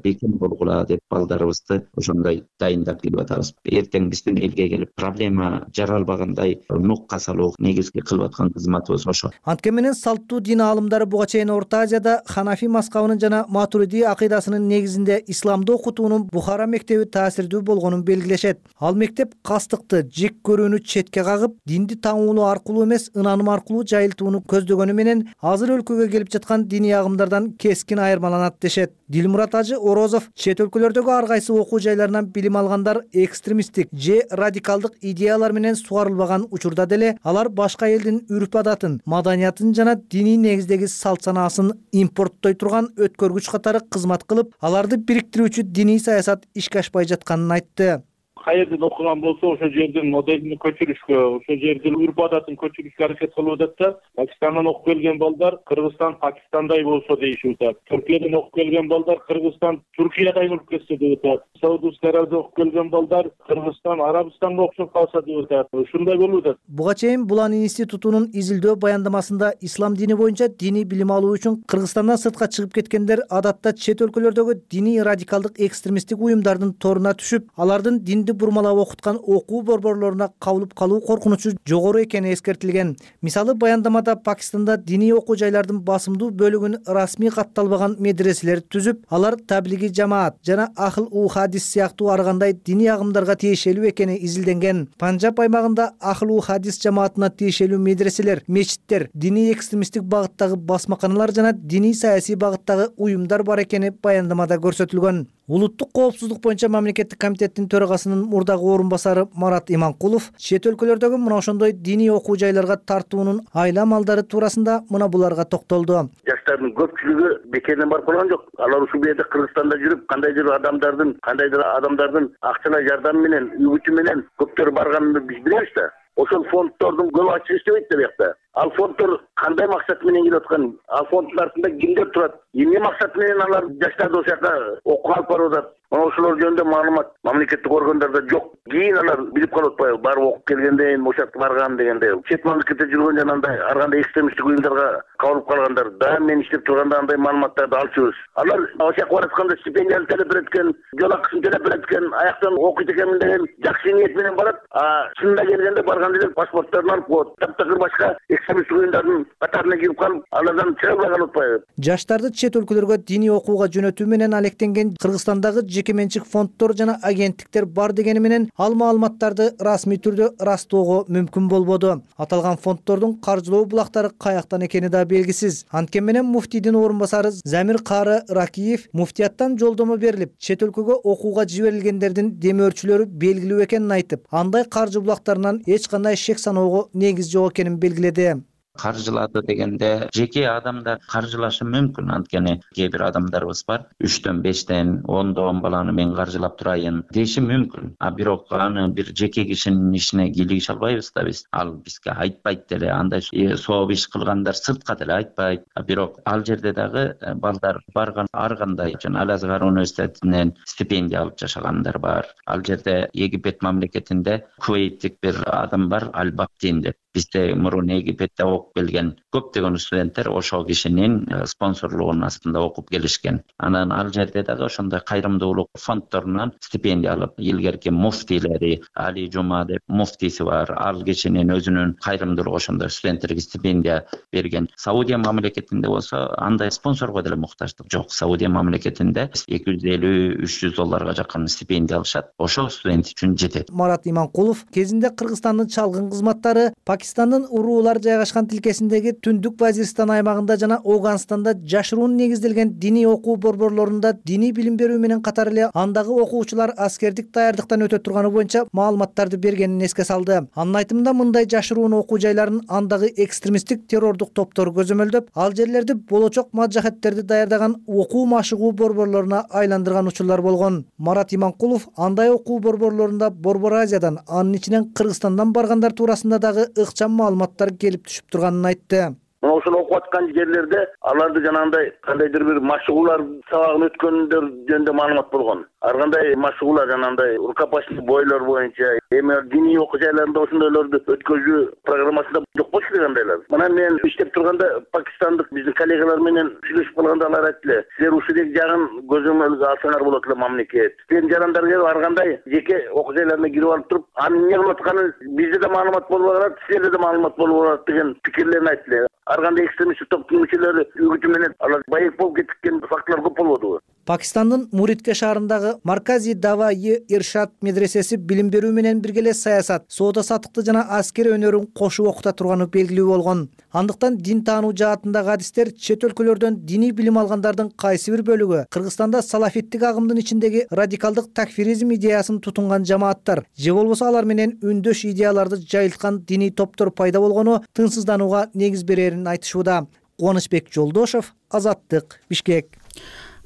бекем болгула деп балдарыбызды ошондой дайындап келип атабыз. Эртең биздин элге келип проблема жаралбагандай нукка салуу негизги кылып аткан кызматыбыз ошо. Анткени менен салттуу дин аалымдары буга чейин Орто Азияда Ханафи мазхабынын жана Матуриди акыйдасынын негизинде исламды окутуунун Бухара мектеби таасирдүү болгонун белгилешет. Ал мектеп кастыкты, жек көрүүнү четке кагып, динди таңуулоо аркылуу эмес, ынаным аркылуу жайылтууну көздөгөнү менен азыр өлкөгө келип жаткан диний агымдардан кескин айырмаланат дешет. Дилмурат Мурат Ажы Орозов чет өлкөлөрдөгү ар кайсы окуу жайларынан билим алгандар экстремисттик же радикалдык идеялар менен сугарылбаган учурда деле алар башка элдин үрп адатын, маданиятын жана диний негиздеги салт санаасын импорттой турган өткөргүч катары кызмат кылып, аларды бириктирүүчү диний саясат ишке ашпай жатканын айтты. Каерден окуган болсо ошол жердин моделин көчүрүшкө, ошол жердин үрп адатын көчүрүшкө аракет кылып атат да. Пакистандан окуп келген балдар Кыргызстан Пакистандай болсо дейишип атат. Түркиядан окуп келген балдар Кыргызстан Түркиядай болуп кетсе деп атат. Саудовский Аравияда окуп келген балдар Кыргызстан Арабистанга окшоп калса деп атат. Ушундай болуп атат. Буга чейин Булан институтунун изилдөө баяндамасында ислам дини боюнча диний билим алуу үчүн Кыргызстандан сыртка чыгып кеткендер адатта чет өлкөлөрдөгү диний радикалдык экстремисттик уюмдардын торуна түшүп, алардын динди бурмалап окуткан окуу борборлоруна кабылып калуу коркунучу жогору экени эскертилген. Мисалы, баяндамада Пакистанда диний окуу жайлардын басымдуу бөлүгүн расмий катталбаган медреселер түзүп, алар таблиги жамаат жана ахыл у хадис сыяктуу ар кандай диний агымдарга тиешелүү экени изилденген. Панжаб аймагында ахыл у хадис жамаатына тиешелүү медреселер, мечиттер, диний экстремисттик багыттагы басмаканалар жана диний саясий багыттагы уюмдар бар экени баяндамада көрсөтүлгөн. Улуттук коопсуздук боюнча мамлекеттик комитеттин төрагасынын мурдагы орун басары Марат Иманкулов чет өлкөлөрдөгү мына ошондой диний окуу жайларга тартуунун айла малдары туурасында мына буларга токтолду. Жаштардын көпчүлүгү бекерден барып калган жок. Алар ушул жерде Кыргызстанда жүрүп, кандайдыр адамдардын, кандайдыр адамдардын акчалай жардамы менен, үгүтү менен көптөр барганын биз билебиз да. Ошол фонддордун көп ачык иштебейт да биякта. Ал фонддор кандай максат менен келип аткан? Ал фонддун артында кимдер турат? Эмне максат менен алар жаштарды ошол жака окууга алып барып атат? Мына ошолор жөнүндө маалымат мамлекеттик органдарда жок. Кийин алар билип калып атпайбы? Барып окуп келгенден ошол жакка барган дегенде. Чет мамлекетте жүргөн жанагындай ар кандай экстремисттик уюмдарга кабылып калгандар да мен иштеп турганда андай маалыматтарды алчубуз. Алар ошол жака баратканда стипендияны төлөп берет экен, жол акысын төлөп берет экен, аяктан окуйт экенмин деген жакшы ниет менен барат. А чынында келгенде барганда эле паспортторун алып коет. Таптакыр башка экстремисттик уюмдардын катарына кирип калып, алардан чыга албай калып атпайбы? Жаштарды чет өлкөлөргө диний окууга жөнөтүү менен алектенген Кыргызстандагы жеке менчик фонддор жана агенттиктер бар дегени менен ал маалыматтарды расмий түрдө ырастоого мүмкүн болбоду. Аталган фонддордун каржылоо булактары каяктан экени да белгисиз. Анткени менен муфтийдин орун басары Замир Кары Ракиев муфтияттан жолдомо берилип, чет өлкөгө окууга жиберилгендердин демөөрчүлөрү белгилүү экенин айтып, андай каржы булактарынан эч кандай шек саноого негиз жок экенин белгиледи. Каржылады дегенде жеке адамдар каржылашы мүмкүн, анткени кээ бир адамдарыбыз бар үчтөн бештен ондон баланы мен каржылап турайын деши мүмкүн. А бирок аны бир жеке кишинин ишине кийлигише албайбыз да биз. Ал бизге айтпайт деле, андай сооп иш кылгандар сыртка деле айтпайт. А бирок ал жерде дагы балдар барган ар кандай үчүн Ал-Азгар университетинен стипендия алып жашагандар бар. Ал жерде Египет мамлекетинде кувейттик бир адам бар, Аль-Бактин деп. Бизде мурун Египетте окуп келген көптөгөн студенттер ошол кишинин спонсорлугунун астында окуп келишкен. Анан ал жерде дагы ошондой кайрымдуулук фонддорунан стипендия алып, илгерки муфтийлери, Али Жума деп муфтиси бар, ал кишинин өзүнүн кайрымдуулугу ошондой студенттерге стипендия берген. Саудия мамлекетинде болсо андай спонсорго деле муктаждык жок. Саудия мамлекетинде эки жүз элүү үч жүз долларга жакын стипендия алышат. Ошол студент үчүн жетет. Марат Иманкулов кезинде Кыргызстандын чалгын кызматтары Пакистандын уруулар жайгашкан тилкесиндеги Түндүк Вазиристан аймагында жана Афганстанда жашыруун негизделген диний окуу борборлорунда диний билим берүү менен катар эле андагы окуучулар аскердик даярдыктан өтө турганы боюнча маалыматтарды бергенин эске салды. Анын айтымында мындай жашыруун окуу жайларын андагы экстремисттик террордук топтор көзөмөлдөп, ал жерлерди болочок маджахеттерди даярдаган окуу машыгуу борборлоруна айландырган учурлар болгон. Марат Иманкулов андай окуу борборлорунда Борбор Азиядан, анын ичинен Кыргызстандан баргандар туурасында дагы ыкчам маалыматтар келип түшүп турганын айтты. Ошол окуп аткан жерлерде аларды жанагындай кандайдыр бир машыгуулар сабагын өткөндөр жөнүндө маалымат болгон. Ар кандай машыгуулар жанагындай рукопашный бойлор боюнча, эми диний окуу жайларында ошондойлорду өткөзүү программасында жок болчу дегендейлер. Мына мен иштеп турганда пакистандык биздин коллегалар менен сүйлөшүп калганда алар айттылар, силер ушул жагын көзөмөлгө алсаңар болот эле мамлекет. Сен жарандар келип ар кандай жеке окуу жайларына кирип алып туруп, анын эмне кылып атканын бизде да маалымат болуп барат, силерде да маалымат болуп барат деген пикирлерин айттылар. ар кандай экстремисттик топтун мүчөлөрү үгүтү менен алар байып болуп кеткен фактылар көп болбодубу? Пакистандын Муридке шаарындагы Маркази Даваи Иршад медресеси билим берүү менен бирге эле саясат, соода саттыкты жана аскер өнөрүн кошуп окута турганы белгилүү болгон. Андыктан дин таануу жаатындагы адистер чет өлкөлөрдөн диний билим алгандардын кайсы бир бөлүгү Кыргызстанда салафиттик агымдын ичиндеги радикалдык такфиризм идеясын тутунган жамааттар же болбосо алар менен үндөш идеяларды жайылткан диний топтор пайда болгону тынчсызданууга негиз берерин айтышууда. Кубанычбек Жолдошов, Азаттык, Бишкек.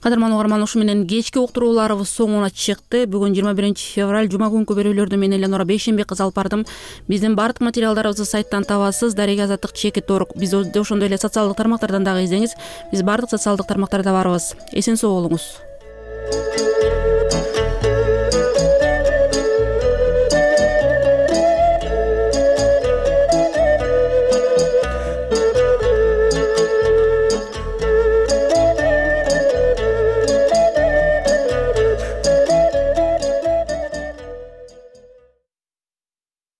Кадырман угарман, ушу менен кечки уктурууларыбыз соңуна чыкты. Бүгүн жыйырма биринчи февраль жума күнкү берүүлөрдү мен Эленора Бейшембек кызы алып бардым. Биздин бардык материалдарыбызды сайттан табасыз. Дарега Азаттык чекит орг. Биз ошондой эле социалдык тармактардан дагы издеңиз. Биз бардык социалдык тармактарда барбыз. Эсен соо болуңуз.